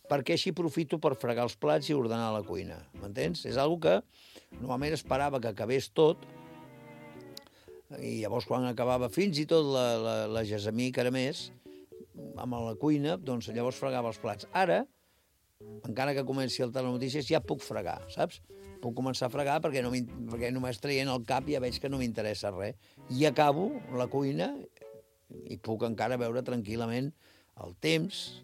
S7: Perquè així aprofito per fregar els plats i ordenar la cuina, m'entens? És una cosa que normalment esperava que acabés tot, i llavors quan acabava fins i tot la Gessamí Caramés, amb la cuina, doncs llavors fregava els plats. Ara, encara que comenci el telenotícies, ja puc fregar, saps? Puc començar a fregar perquè només traient el cap ja veig que no m'interessa res. I acabo la cuina i puc encara veure tranquil·lament el temps,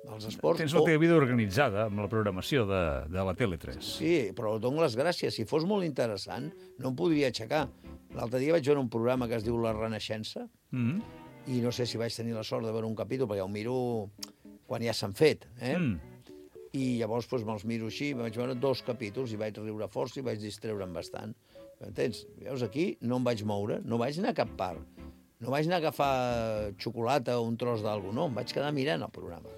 S7: els esports...
S6: Tens la teva vida organitzada amb la programació de la Tele3.
S7: Sí, però dono les gràcies. Si fos molt interessant, no em podria aixecar. L'altre dia vaig veure un programa que es diu La Renaixença, i no sé si vaig tenir la sort de veure un capítol, perquè ho miro quan ja s'han fet, I llavors me'ls miro així, vaig veure 2 capítols i vaig riure força i vaig distreure'm bastant. Entens? Veus, aquí no em vaig moure, no vaig anar a cap part. No vaig anar a agafar xocolata o un tros d'algú, no, em vaig quedar mirant el programa.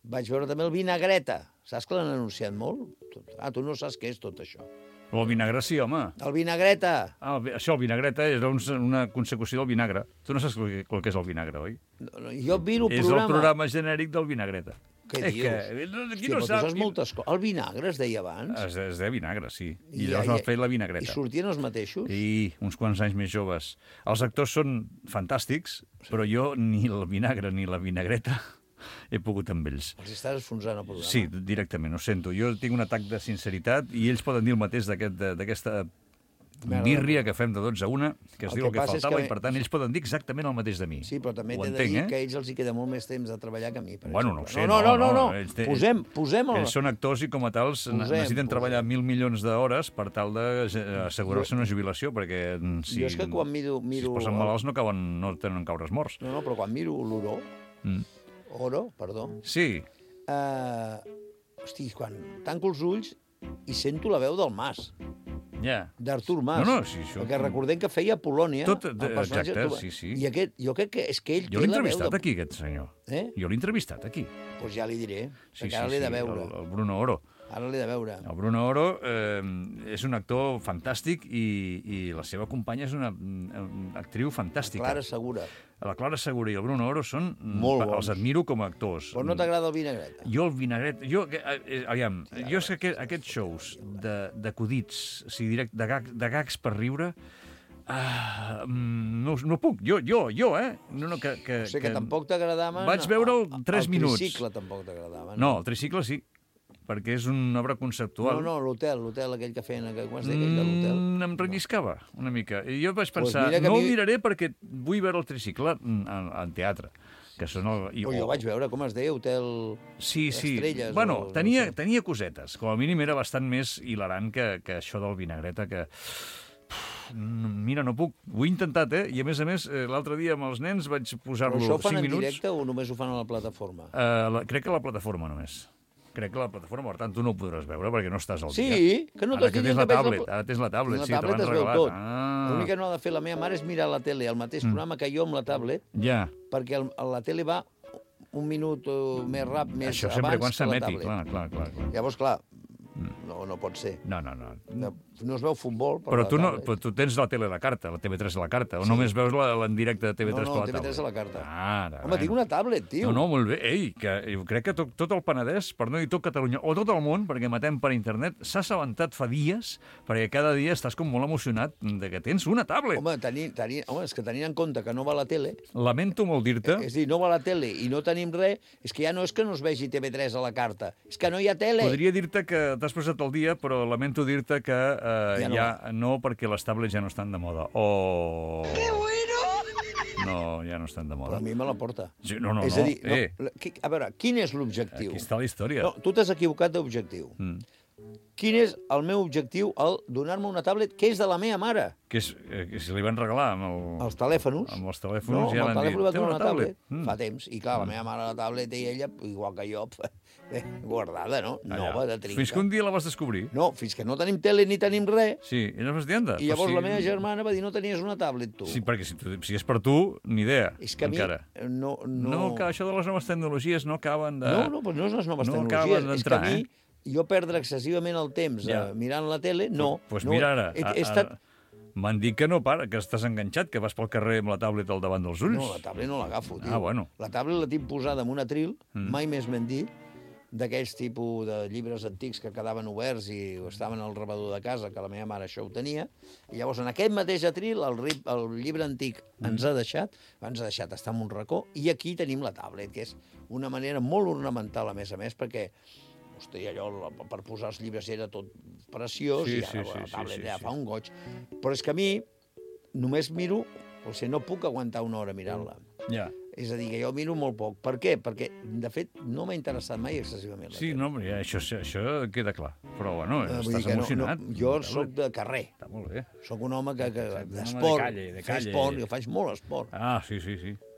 S7: Vaig veure també el Vinagreta. Saps que l'han anunciat molt? Tu no saps què és tot això.
S6: El vinagre sí, home.
S7: El Vinagreta.
S6: Això, el Vinagreta, és una consecució del vinagre. Tu no saps el que és el vinagre, oi?
S7: Jo miro el programa...
S6: És el programa genèric del Vinagreta.
S7: Què dius?
S6: Qui no sap...
S7: moltes coses. El vinagre es deia abans?
S6: Es deia vinagre, sí. I llavors m'ha fet la Vinagreta.
S7: I sortien els mateixos?
S6: I uns quants anys més joves. Els actors són fantàstics, però jo ni el vinagre ni la Vinagreta he pogut amb ells.
S7: Els estàs enfonsant el programa?
S6: Sí, directament, ho sento. Jo tinc un atac de sinceritat i ells poden dir el mateix d'aquesta birria que fem de 12 a 1, que es diu el que faltava, i per tant ells poden dir exactament el mateix de mi.
S7: Sí, però també t'he de dir que a ells els hi queda molt més temps de treballar que a mi, per
S6: exemple. No ho sé,
S7: no. Posem el...
S6: Ells són actors i com a tals necessiten treballar 1.000 milions d'hores per tal d'assegurar-se una jubilació, perquè si
S7: jo és que quan miro...
S6: es posen malalts no tenen caures morts.
S7: No, però quan miro l'Oro... Oro, perdó.
S6: Sí.
S7: Hosti, quan tanco els ulls i sento la veu del Mas.
S6: Ja.
S7: D'Artur Mas.
S6: No, sí, això...
S7: Perquè recordem que feia Polònia.
S6: Exacte, sí.
S7: I aquest, jo crec que és que ell
S6: té la veu... Jo l'he entrevistat aquí, aquest senyor.
S7: Jo
S6: l'he entrevistat aquí.
S7: Doncs ja li diré,
S6: perquè
S7: ara l'he de veure.
S6: El Bruno Oro.
S7: Ara l'he de veure.
S6: El Bruno Oro és un actor fantàstic i la seva companya és una actriu fantàstica.
S7: Clara Segura.
S6: La Clara Segura i el Bruno Oro són...
S7: Molt bons.
S6: Els admiro com a actors.
S7: Però no t'agrada el vinagret?
S6: Jo el vinagret... Aviam, jo sé que aquests shows d'acudits, o sigui, de gags per riure... no puc, jo, No,
S7: o sigui que tampoc t'agradaven...
S6: Vaig veure'l 3 minuts.
S7: El tricicle tampoc t'agradava.
S6: No, el tricicle sí, perquè és una obra conceptual.
S7: No, l'hotel aquell que feien... Com es deia aquell de l'hotel?
S6: Em relliscava una mica. I jo vaig pensar, no el miraré perquè vull veure el tricicle en teatre. Que són
S7: jo vaig veure com es deia, Hotel Estrelles.
S6: Bueno, tenia cosetes. Com a mínim era bastant més hilarant que això del vinagreta que... Mira, no puc. Ho he intentat, I a més, l'altre dia amb els nens vaig posar-lo 5 minuts.
S7: Però això ho fan en directe o només ho fan a la plataforma?
S6: Crec que a la plataforma només. Per tant, tu no ho podràs veure perquè no estàs al dia.
S7: Sí, que no t'has dit
S6: la tablet. Ara tens la tablet, sí, te l'han regalat.
S7: L'únic que no ha de fer la meva mare és mirar la tele, el mateix programa que jo amb la tablet, perquè la tele va un minut més ràpid, més
S6: això
S7: abans
S6: sempre quan
S7: que la
S6: s'emeti,
S7: tablet.
S6: clar.
S7: Llavors, clar, no pot ser. No es veu futbol per
S6: però
S7: la tablet.
S6: Però tu tens la tele a la carta, la TV3 a la carta, o només veus en directe de TV3 per la tablet?
S7: No, TV3 a la carta.
S6: Home,
S7: tinc una tablet, tio.
S6: No, molt bé. Que jo crec que tot el Penedès, per no dir tot Catalunya, o tot el món, perquè matem per internet, s'ha assabentat fa dies, perquè cada dia estàs com molt emocionat de que tens una tablet.
S7: Home, és que tenint en compte que no va a la tele...
S6: Lamento molt dir-te...
S7: És a dir, no va a la tele i no tenim res, és que ja no és que no es vegi TV3 a la carta, és que no hi ha tele.
S6: Podria dir-te que t'has posat al dia, però lamento dir-te que no, perquè les tablets ja no estan de moda. ¡Qué bueno! No, ja no estan de moda.
S7: Però a mi me la porta.
S6: Sí, no.
S7: És a dir, a veure, quin és l'objectiu?
S6: Aquí està la història.
S7: No, tu t'has equivocat d'objectiu. Quin és el meu objectiu al donar-me una tablet que és de la meva mare?
S6: Que si li van regalar amb
S7: els telèfons.
S6: Amb els telèfons ja van dir,
S7: li va donar una tablet. Fa temps. I clar, la meva mare la tablet i ella, igual que jo, guardada, no? Nova, de trinca.
S6: Fins que un dia la vas descobrir?
S7: No, fins que no tenim tele ni tenim res.
S6: Sí, i no vas dir, anda.
S7: I llavors la meva germana va dir, no tenies una tablet, tu.
S6: Sí, perquè si és per tu, ni idea,
S7: és que
S6: encara.
S7: No,
S6: que això de les noves tecnologies no acaben de...
S7: No, però no és les noves tecnologies. És que a mi, jo perdre excessivament el temps mirant la tele, no.
S6: Doncs mira ara, m'han dit que no para, que estàs enganxat, que vas pel carrer amb la tablet al davant dels ulls.
S7: No, la tablet no l'agafo, tio.
S6: Bueno.
S7: La tablet la tinc posada en un atril, mai més m'han dit, d'aquells tipus de llibres antics que quedaven oberts i estaven al rebedor de casa, que la meva mare això ho tenia, i llavors en aquest mateix atril el llibre antic ens ha deixat estar en un racó, i aquí tenim la tablet, que és una manera molt ornamental, a més, perquè hosti, allò, per posar els llibres era tot preciós, i ara la tablet ja fa un goig. Però és que a mi només miro, o sigui, no puc aguantar una hora mirant-la.
S6: Ja.
S7: És a dir, que jo miro molt poc. Per què? Perquè, de fet, no m'ha interessat mai excessivament la tele.
S6: Sí, no, això queda clar. Però, bueno, estàs emocionat.
S7: Jo soc de carrer.
S6: Està molt bé.
S7: Soc un home d'esport. Faig esport, jo faig molt esport.
S6: Ah, sí.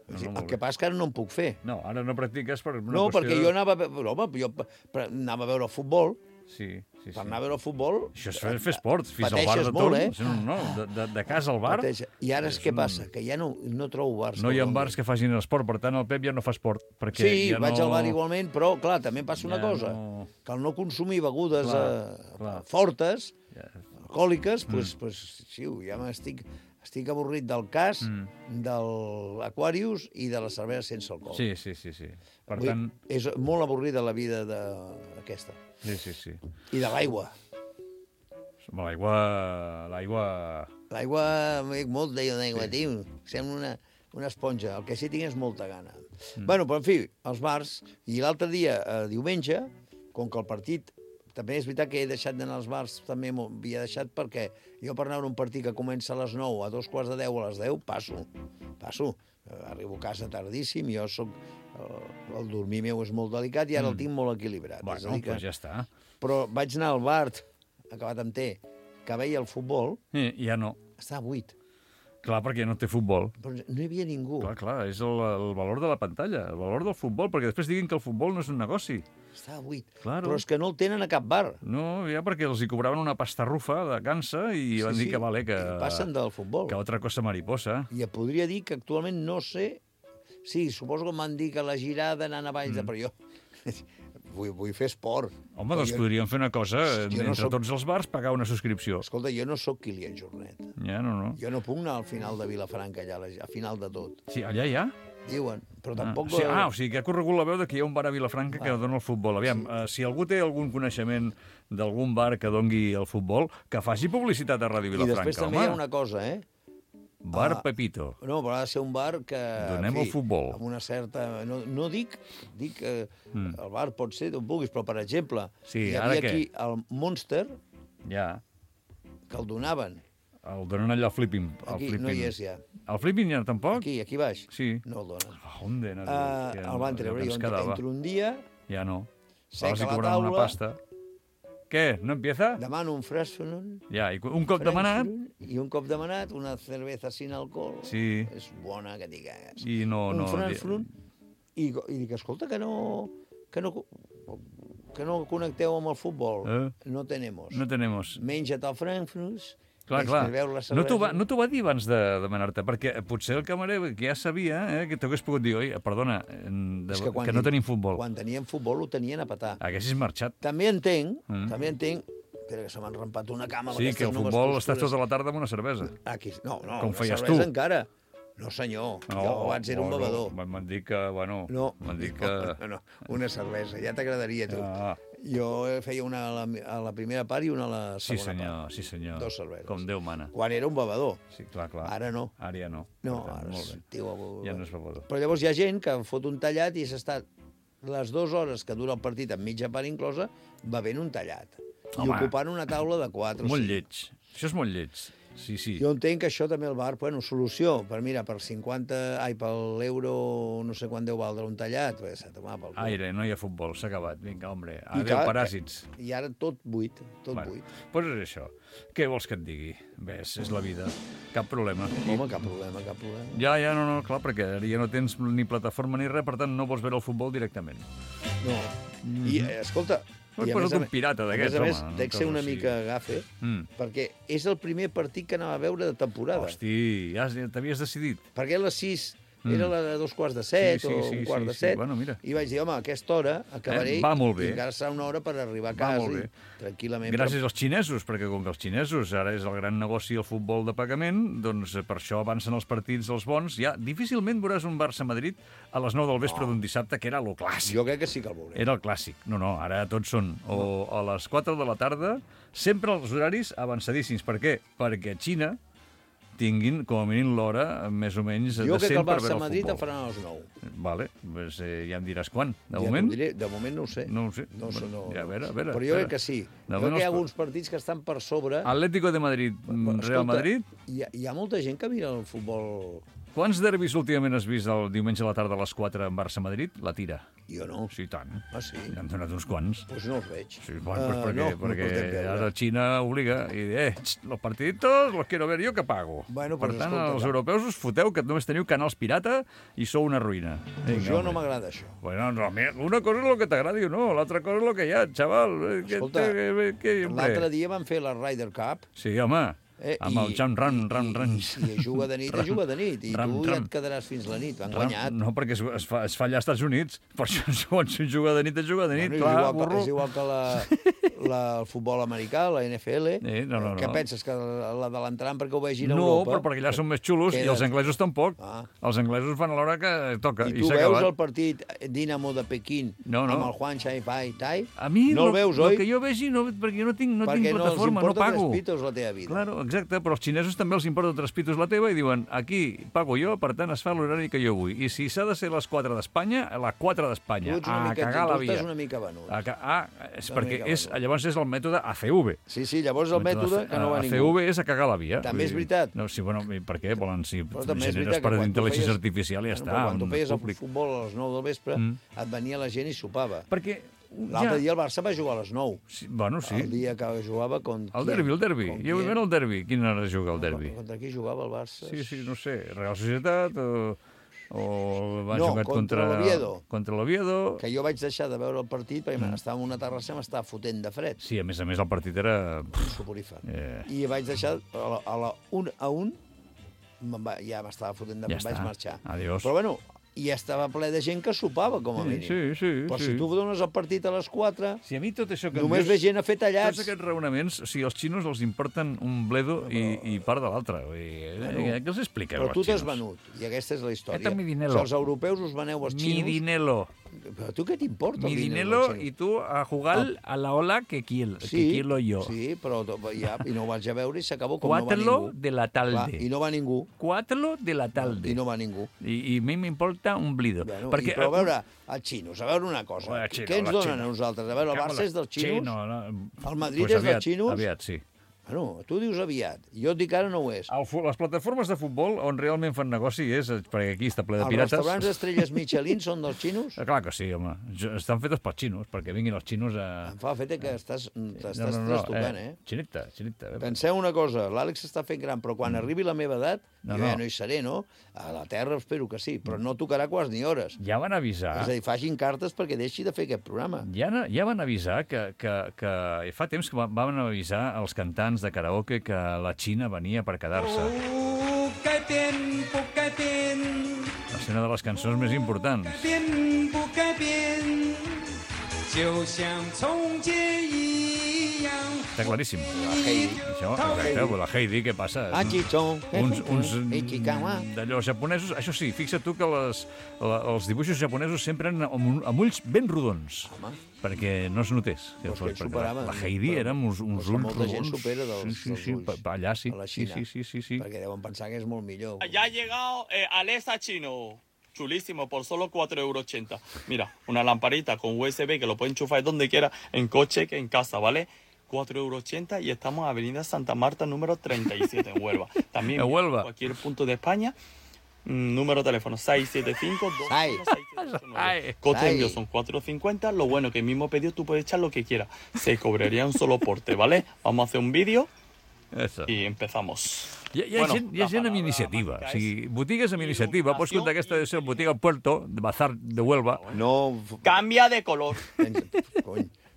S7: El que passa és que ara no en puc fer.
S6: No, ara no practiques per una qüestió...
S7: No, perquè jo anava a veure futbol.
S6: Sí.
S7: Per anar a veure futbol...
S6: Això és fer esport, fins al bar de torn. No, de casa al bar...
S7: I ara què passa? Que ja no trobo bars.
S6: No hi ha bars que facin esport, per tant el Pep ja no fa esport.
S7: Sí, vaig al bar igualment, però, clar, també passa una cosa, que al no consumir begudes fortes, alcohòliques, doncs, sí, ja estic avorrit del cas, de l'Aquarius i de la cervesa sense alcohol.
S6: Sí. Per tant...
S7: És molt avorrida la vida aquesta.
S6: Sí.
S7: I de l'aigua.
S6: L'aigua...
S7: L'aigua, molt d'aigua, tio. Sembla una esponja. El que sí tinc és molta gana. Bueno, però en fi, els bars. I l'altre dia, diumenge, com que el partit... També és veritat que he deixat d'anar als bars, també m'ho havia deixat perquè jo per anar a un partit que comença a les 9, a 9:45, a les 10, passo. Arribo a casa tardíssim, jo soc... El dormir meu és molt delicat i ara el tinc molt equilibrat.
S6: Bueno, doncs ja està.
S7: Però vaig anar al bar, acabat amb T, que veia el futbol...
S6: Ja no.
S7: Estava buit.
S6: Clar, perquè no té futbol.
S7: Però no hi havia ningú.
S6: Clar, és el valor de la pantalla, el valor del futbol, perquè després diguin que el futbol no és un negoci.
S7: Estava buit.
S6: Claro.
S7: Però és que no el tenen a cap bar.
S6: No, ja perquè els hi cobraven una pastarrufa de cansa i van dir que vale, que...
S7: passen del futbol.
S6: Que altra cosa mariposa.
S7: I et podria dir que actualment no sé... Sí, suposo que m'han dit que la girada anant a Valls de... Però jo... vull fer esport.
S6: Home, doncs podríem fer una cosa, entre tots els bars, pagar una subscripció.
S7: Escolta, jo no sóc Kilian Jornet.
S6: Ja, no.
S7: Jo no puc anar al final de Vilafranca, allà, a final de tot.
S6: Sí, allà hi ha?
S7: Diuen, però tampoc...
S6: O sigui, que ha corregut la veu que hi ha un bar a Vilafranca que dona el futbol. Aviam, si algú té algun coneixement d'algun bar que doni el futbol, que faci publicitat a Ràdio Vilafranca,
S7: I després també hi ha una cosa,
S6: Bar Pepito.
S7: No, però ha de ser un bar que...
S6: Donem el futbol.
S7: Amb una certa... No dic que el bar pot ser on vulguis, però, per exemple, hi havia aquí el Monster, que el donaven.
S6: El donen allà al Flipping.
S7: Aquí no hi és ja.
S6: El Flipping ja tampoc?
S7: Aquí baix.
S6: Sí.
S7: No el donen.
S6: On de
S7: el van treure. Jo entro un dia...
S6: Ja no.
S7: Seca la taula...
S6: una pasta. Què? No empieza?
S7: Demano un Frasfunon.
S6: Ja, i un cop demanat...
S7: I un cop demanat, una cerveza sin alcohol.
S6: Sí.
S7: És bona que t'hi cagues.
S6: I no...
S7: Un Frasfunon. I dic, escolta, que no connecteu amb el futbol. No tenemos.
S6: No tenemos.
S7: Menja't el Frankfurt.
S6: Clar. No t'ho va dir abans de demanar-te, perquè potser el camarer, que ja sabia, que t'hagués pogut dir, oi, perdona, que no tenim futbol.
S7: Quan tenien futbol ho tenien a petar.
S6: Haguessis marxat.
S7: També entenc, però que se m'han rampat una cama.
S6: Sí, que el futbol estàs tota la tarda amb una cervesa.
S7: Aquí, no,
S6: com
S7: una
S6: feies
S7: cervesa
S6: tu.
S7: Encara. No, senyor, jo abans era un bevedor.
S6: M'han dit que,
S7: No, una cervesa, ja t'agradaria, tu. Jo feia una a la primera part i una a la segona part.
S6: Sí, senyor.
S7: 2 cerveses.
S6: Com Déu mana.
S7: Quan era un bevedor.
S6: Sí, clar.
S7: Ara no.
S6: Ara ja no.
S7: No, ara
S6: ja no és bevedor.
S7: Però llavors hi ha gent que fot un tallat i s'està les 2 hores que dura el partit amb mitja part inclosa bevent un tallat. I ocupant una taula de 4 o 5.
S6: Molt lleig. Això és molt lleig. Sí.
S7: Jo entenc que això també el bar, solució, per l'euro, no sé quant deu valdre un tallat, s'ha de tomar pel cul.
S6: Aire, no hi ha futbol, s'ha acabat, vinga, hombre, adéu paràsits.
S7: I ara tot buit, buit.
S6: Doncs és això. Què vols que et digui? Ves, és la vida. Cap problema.
S7: Home, cap problema.
S6: Ja, no, clar, perquè ja no tens ni plataforma ni res, per tant no vols veure el futbol directament.
S7: No. I, escolta...
S6: I a un pirata d'aquests, home.
S7: A més, dec ser una mica gafe, perquè és el primer partit que anava a veure de temporada.
S6: Hosti, ja t'havies decidit.
S7: Perquè a les 6 era la de 6:45 o 6:45.
S6: Bueno, mira.
S7: I vaig dir, home, a aquesta hora acabaré i encara serà una hora per arribar a casa i tranquil·lament.
S6: Gràcies als xinesos, perquè com que els xinesos ara és el gran negoci el futbol de pagament, doncs per això avancen els partits els bons. Ja difícilment veuràs un Barça-Madrid a les 9 del vespre d'un dissabte, que era lo clàssic.
S7: Jo crec que sí que el veuré.
S6: Era el clàssic. No, ara tots són o a les 4 de la tarda, sempre els horaris avançadíssims. Per què? Perquè a Xina tinguin, com a mínim, l'hora més o menys
S7: jo
S6: decent per veure el futbol.
S7: Jo crec que el Barça-Madrid el faran a les 9.
S6: Vale, pues, ja em diràs quan. De
S7: ja
S6: moment?
S7: De moment no ho sé.
S6: No ho sé.
S7: No,
S6: ja, a veure.
S7: Però jo crec que sí. Jo crec que hi ha alguns partits que estan per sobre.
S6: Atlético de Madrid, Real Madrid.
S7: Hi ha molta gent que mira el futbol...
S6: Quants derbis últimament has vist el diumenge a la tarda a les 4 en Barça-Madrid? La tira.
S7: Jo no.
S6: Sí, tant.
S7: Ah, sí?
S6: Ja han donat uns quants.
S7: Doncs no els veig.
S6: Sí, bueno, perquè ara Xina obliga i los partiditos los quiero ver yo que pago.
S7: Bueno,
S6: per tant, els europeus us foteu que només teniu canals pirata i sou una ruïna.
S7: Pues jo no m'agrada això.
S6: Bueno, no, una cosa és el que t'agradi o no, l'altra cosa és el que hi ha, xaval.
S7: Escolta, l'altre dia van fer la Ryder Cup.
S6: Sí, home. Amb el Jam Ran.
S7: I si juga de nit, juga de nit. I tu ja et quedaràs fins la nit. Han guanyat.
S6: No, perquè es fa allà als Estats Units. Per això, quan s'hi juga de nit, juga de nit.
S7: És igual que el futbol americà, la NFL. Què penses, que l'adalentaran perquè ho vegin a Europa?
S6: No, però perquè allà són més xulos i els anglesos tampoc. Els anglesos fan a l'hora que toca.
S7: I tu veus el partit Dinamo de Pequín amb el Juan Shai-Pai Tai?
S6: A mi,
S7: no el veus, oi?
S6: El que jo vegi, perquè jo no tinc plataforma, no pago.
S7: Perquè no els importa 3 pitos la teva vida.
S6: Claro, exacte, però als xinesos també els importa 3 pitos la teva i diuen, aquí pago jo, per tant es fa l'horari que jo vull. I si s'ha de ser a les 4 d'Espanya, a les 4 d'Espanya. A cagar la via.
S7: Tu estàs una mica venut.
S6: És perquè llavors és el mètode ACV.
S7: Sí, llavors el mètode que no va ningú.
S6: ACV és a cagar la via.
S7: També és veritat.
S6: No, sí, bueno, per què? Volen, si generes per intel·ligència artificial i ja està.
S7: Quan tu feies el futbol a les 9 del vespre, et venia la gent i sopava.
S6: Perquè
S7: l'altre dia el Barça va jugar a les 9.
S6: Bueno, sí.
S7: El dia que jugava contra...
S6: El derbi. Jo vull veure el derbi. Quina hora juga el derbi?
S7: Contra qui jugava el Barça?
S6: Sí, no sé. Real Societat o va jugar
S7: contra l'Oviedo.
S6: Contra l'Oviedo.
S7: Que jo vaig deixar de veure el partit perquè estava en una terrassa i m'estava fotent de fred.
S6: Sí, a més el partit era...
S7: Soporífer. I vaig deixar a la 1-1, ja m'estava fotent de fred, vaig marxar.
S6: Adiós.
S7: Però bueno, i estava ple de gent que sopava, com a mínim.
S6: Sí.
S7: Però si tu dones el partit a les 4,
S6: si a mi tot això que
S7: només ve gent a fer tallats.
S6: Tots aquests raonaments, o sigui, els xinos els importen un bledo i part de l'altre. Què els expliques,
S7: Però tu t'has
S6: xinos?
S7: venut, i aquesta és la història.
S6: Eta mi dinero.
S7: Si els europeus us veneu als xinos...
S6: Mi dinero.
S7: Però tu què t'importa
S6: Mi
S7: el
S6: dinero
S7: dels xinos?
S6: i tu a jugar a la ola que quiero yo.
S7: Sí, però ja, i no ho vaig a veure i s'acabó com no va
S6: Cuátelo
S7: ningú.
S6: de la tarde.
S7: Clar, I no va ningú.
S6: Cuátelo de la tarde.
S7: I no va ningú.
S6: I a mi m'importa un blido.
S7: Bueno,
S6: perquè,
S7: però a veure, els xinos, a veure una cosa.
S6: Bueno, xino,
S7: Què ens
S6: la
S7: donen
S6: Xina.
S7: a nosaltres? A veure, el Barça és dels xinos?
S6: Xino, no.
S7: El Madrid
S6: Pues
S7: és dels xinos?
S6: Aviat, sí.
S7: Bueno, tu dius aviat. Jo et dic ara no ho és.
S6: Les plataformes de futbol on realment fan negoci és, perquè aquí està ple de
S7: Els
S6: pirates.
S7: restaurants d'estrelles Michelin són dels xinos?
S6: Clar que sí, home. Estan fetes pels xinos, perquè vinguin els xinos a...
S7: Em fa l'efecte que t'estàs trastocant,
S6: Xinita.
S7: Penseu una cosa, l'Àlex s'està fent gran, però quan arribi la meva edat, jo ja no hi seré, no? A la Terra espero que sí, però no tocarà quasi ni hores.
S6: Ja van avisar...
S7: És a dir, facin cartes perquè deixi de fer aquest programa.
S6: Ja van avisar que fa temps que van avisar els cantants de karaoke que la Xina venia per quedar-se. Va ser una de les cançons més importants. Està claríssim. Això, exacte, la Heidi, què passa? Uns d'allò japonesos... Això sí, fixa't tu que els dibuixos japonesos sempre eren amb ulls ben rodons. Perquè no es notés. La Heidi érem uns ulls rodons.
S7: Molta gent supera dels ulls.
S6: Allà sí.
S7: A la Xina.
S6: Sí.
S7: Perquè deuen pensar que és molt millor.
S9: Ya ha llegado Alexa Chino. Chulísimo, por solo 4,80 €. Mira, una lamparita con USB que lo pueden enchufar donde quiera, en coche que en casa, ¿vale? 4,80 € y estamos en Avenida Santa Marta, número 37, en Huelva. También
S6: en Huelva.
S9: En cualquier punto de España. Número de teléfono 675-216-689. Coste envío son 4,50. Lo bueno que el mismo pedido tú puedes echar lo que quieras. Se cobraría un solo porte, ¿vale? Vamos a hacer un vídeo y empezamos.
S6: Hi ha gent amb iniciativa. O sigui, botigues amb iniciativa. Pots comptar aquesta de ser botiga Puerto, de Bazar de Huelva.
S7: No...
S9: Canvia de color.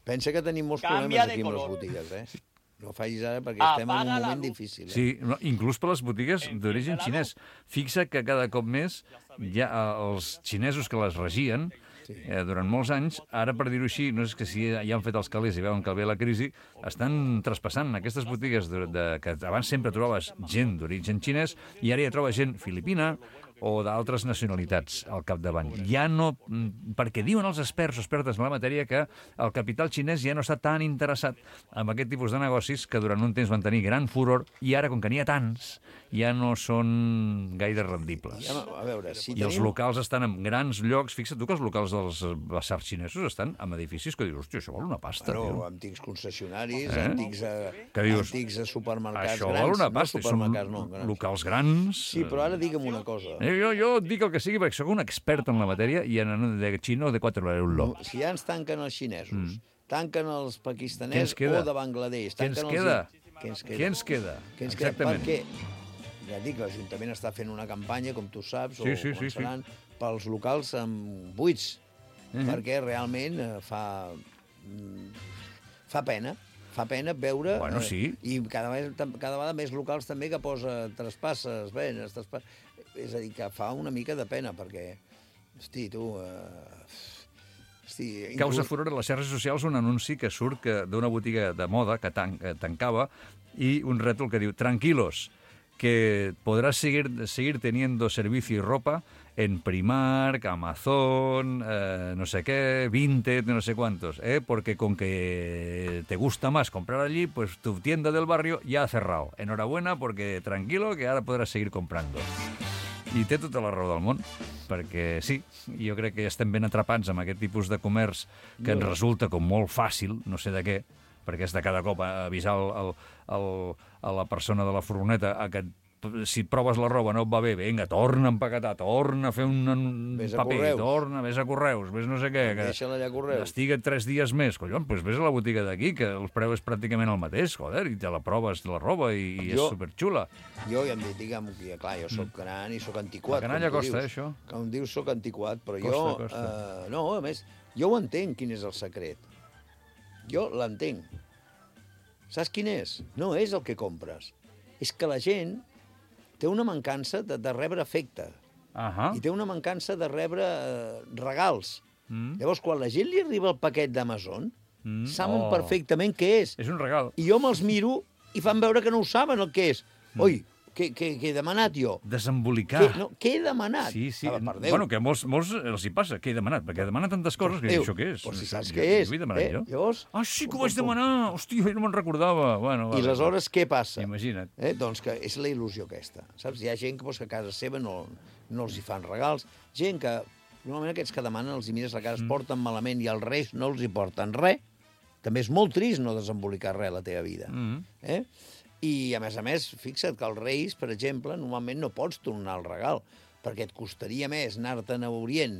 S7: Pensa que tenim molts problemes aquí amb les botigues, eh? No facis ara perquè estem en un moment difícil.
S6: Sí, inclús per les botigues d'origen xinès. Fixa que cada cop més ja els xinesos que les regien durant molts anys, ara per dir-ho així, no és que si ja han fet els calés i veuen que ve la crisi, estan traspassant aquestes botigues que abans sempre trobaves gent d'origen xinès i ara ja trobes gent filipina o d'altres nacionalitats al capdavant. Ja no... Perquè diuen els experts o expertes en la matèria que el capital xinès ja no està tan interessat en aquest tipus de negocis que durant un temps van tenir gran furor i ara, com que n'hi ha tants, ja no són gaire rendibles.
S7: A veure, si
S6: I els locals estan en grans llocs. Fixa't tu que els locals dels basars xinesos estan en edificis que dius, hòstia, això val una pasta.
S7: Bueno, antics concessionaris, antics supermercats
S6: això
S7: grans.
S6: Val una pasta,
S7: són
S6: locals grans.
S7: Sí, però ara digue'm una cosa.
S6: Jo et dic el que sigui perquè sóc un expert en la matèria i en de xino de 4 €.
S7: Si ja ens tanquen els xinesos, tanquen els pakistanès o de Bangladesh...
S6: Què ens queda?
S7: Què
S6: ens queda?
S7: Exactament. Perquè, ja dic, l'Ajuntament està fent una campanya, com tu saps, o començaran pels locals buits, perquè realment fa pena. Fa pena veure...
S6: Bueno, sí.
S7: I cada vegada més locals també que posa traspasses, venes, és a dir, que fa una mica de pena, perquè, hosti, tu...
S6: Causa furor a les xarxes socials un anunci que surt d'una botiga de moda que tancava i un rètol que diu «Tranquilos, que podrás seguir teniendo servicio y ropa en Primark, Amazon, no sé qué, Vinted, no sé cuántos, porque con que te gusta más comprar allí, pues tu tienda del barrio ya ha cerrado. Enhorabuena, porque tranquilo, que ahora podrás seguir comprando». I té tota la raó del món, perquè sí, jo crec que ja estem ben atrapats amb aquest tipus de comerç que ens resulta com molt fàcil, no sé de què, perquè és de cada cop avisar a la persona de la furgoneta que si proves la roba no et va bé, vinga, torna a empaquetar, torna a fer un paper, vés a Correus, vés no sé què,
S7: deixa-la allà a Correus.
S6: Estiga 3 dies més, collons, doncs vés a la botiga d'aquí, que el preu és pràcticament el mateix, joder, i te la proves, la roba, i és superxula.
S7: Jo ja em dic, digue'm, clar, jo soc gran i soc antiquat.
S6: La canalla costa, això.
S7: Com dius, soc antiquat, però jo... No, a més, jo ho entenc, quin és el secret. Jo l'entenc. Saps quin és? No és el que compres. És que la gent té una mancança de rebre afecte. i té una mancança de rebre regals. Llavors, quan la gent li arriba el paquet d'Amazon, saben perfectament què és.
S6: És un regal.
S7: I jo me'ls miro i fan veure que no ho saben el que és. Oi, què he demanat jo?
S6: Desembolicar.
S7: Què he demanat?
S6: Sí. Bueno, que a molts els hi passa. Què he demanat? Perquè he demanat tantes coses que això què és?
S7: Però si saps què és.
S6: Ho he demanat jo.
S7: Llavors...
S6: Ah, sí que ho vaig demanar! Hòstia, jo no me'n recordava. Bueno,
S7: I aleshores què passa?
S6: Imagina't.
S7: Doncs que és la il·lusió aquesta. Saps? Hi ha gent que a casa seva no els hi fan regals. Gent que... Normalment aquests que demanen els hi mires la cara, es porten malament i els reis no els hi porten res. També és molt trist no desembolicar res a la teva vida. I, a més, fixa't que els reis, per exemple, normalment no pots tornar el regal, perquè et costaria més anar-te'n a Orient,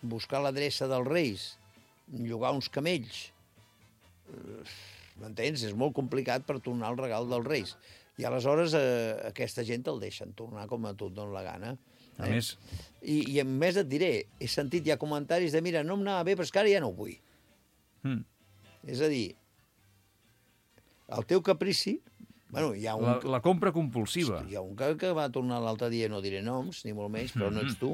S7: buscar l'adreça dels reis, llogar uns camells. M'entens? És molt complicat per tornar el regal dels reis. I aleshores aquesta gent te'l deixen tornar com a tu et dona la gana.
S6: A més...
S7: I a més et diré, he sentit ja comentaris de mira, no em anava bé, però és que ara ja no ho vull. És a dir, el teu caprici... Bueno, hi ha un...
S6: La compra compulsiva.
S7: Hi ha un que va tornar l'altre dia, no diré noms, ni molt menys, però no ets tu.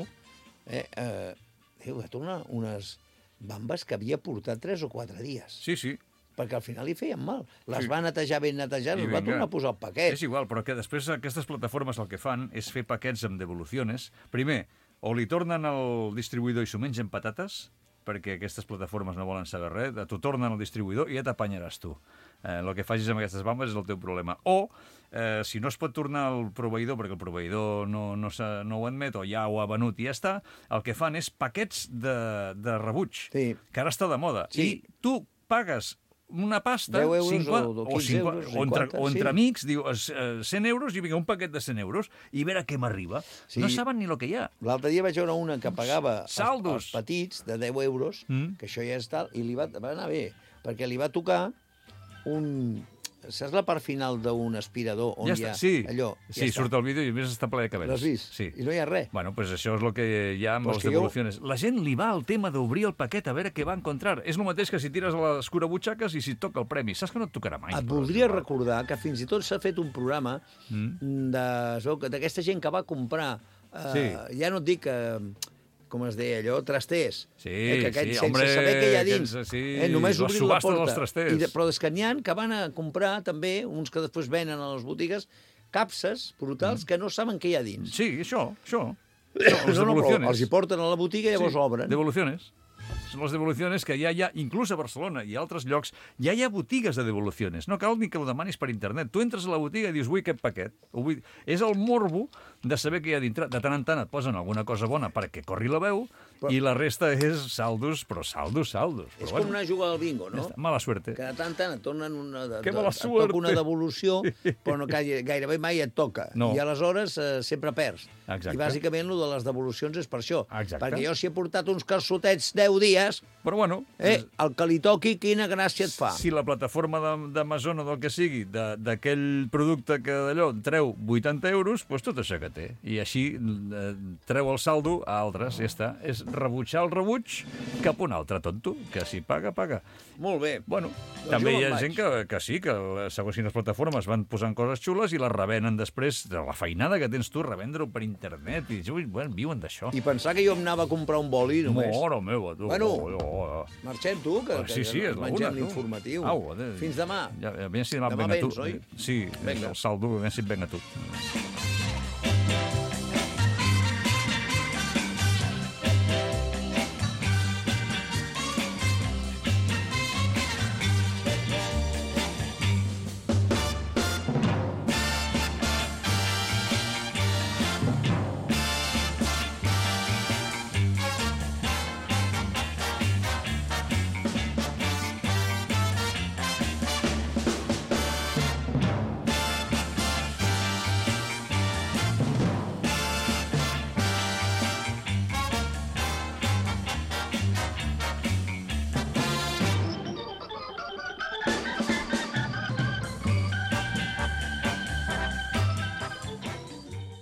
S7: Va tornar unes bambes que havia portat 3 o 4 dies.
S6: Sí.
S7: Perquè al final li feien mal. Les va netejar ben netejades, les va tornar a posar al paquet.
S6: És igual, però que després aquestes plataformes el que fan és fer paquets amb devolucions. Primer, o li tornen al distribuïdor i s'ho mengen patates, perquè aquestes plataformes no volen saber res, t'ho tornen al distribuïdor i ja t'apanyaràs tu. El que facis amb aquestes bambes és el teu problema. O, si no es pot tornar al proveïdor, perquè el proveïdor no ho admet o ja ho ha venut i ja està, el que fan és paquets de rebuig, que ara està de moda. I tu pagues una pasta...
S7: 10 euros o 15 euros.
S6: O entre amics, diu, 100 euros i vinga, un paquet de 100 euros i a veure què m'arriba. No saben ni el que hi ha.
S7: L'altre dia vaig veure una que pagava els petits de 10 euros, que això ja és tal, i li va anar bé, perquè li va tocar un... Saps la part final d'un aspirador on hi ha allò?
S6: Sí, surt el vídeo i a més està ple de cabells.
S7: L'has vist?
S6: Sí.
S7: I no hi ha res.
S6: Bueno, pues això és el que hi ha amb les devolucions. La gent li va al tema d'obrir el paquet a veure què va encontrar. És el mateix que si tires a l'escurabutxaques i si et toca el premi. Saps que no et tocarà mai.
S7: Et voldria recordar que fins i tot s'ha fet un programa d'aquesta gent que va comprar... Ja no et dic... com es deia allò, trasters. Sense saber què hi ha dins. Només obrir la porta. Però és que n'hi ha que van a comprar també, uns que després venen a les botigues, capses brutals que no saben què hi ha dins.
S6: Sí, això.
S7: Els hi porten a la botiga i llavors obren.
S6: Devoluciones. Són les devolucions que ja hi ha, inclús a Barcelona i a altres llocs, ja hi ha botigues de devolucions. No cal ni que ho demanis per internet. Tu entres a la botiga i dius, vull aquest paquet. És el morbo de saber què hi ha dintre. De tant en tant et posen alguna cosa bona perquè corri la veu i la resta és saldos, però saldos.
S7: És com anar a jugar al bingo, no?
S6: Mala suerte.
S7: Que de tant en tant et tornen una devolució, però no, gairebé mai et toca. I aleshores sempre perds. I bàsicament el de les devolucions és per això. Perquè jo si he portat uns calçotets 10 dies,
S6: però bueno,
S7: el que li toqui, quina gràcia et fa.
S6: Si la plataforma d'Amazon o del que sigui, d'aquell producte que d'allò treu 80 euros, doncs tot això que té. I així treu el saldo a altres, ja està. És rebutjar el rebuig cap a un altre tonto, que si paga, paga.
S7: Molt bé.
S6: Bueno, també hi ha gent que sí, que segons quines plataformes van posant coses xules i les revenen després, de la feinada que tens tu, revendre-ho per internet, i bueno, viuen d'això.
S7: I pensar que jo em anava a comprar un boli només.
S6: Mora meva, tu.
S7: Bueno, marxem, tu, que mengem l'informatiu. Fins demà.
S6: Demà vens, oi? Sí, el saldo, ben si et venga tu.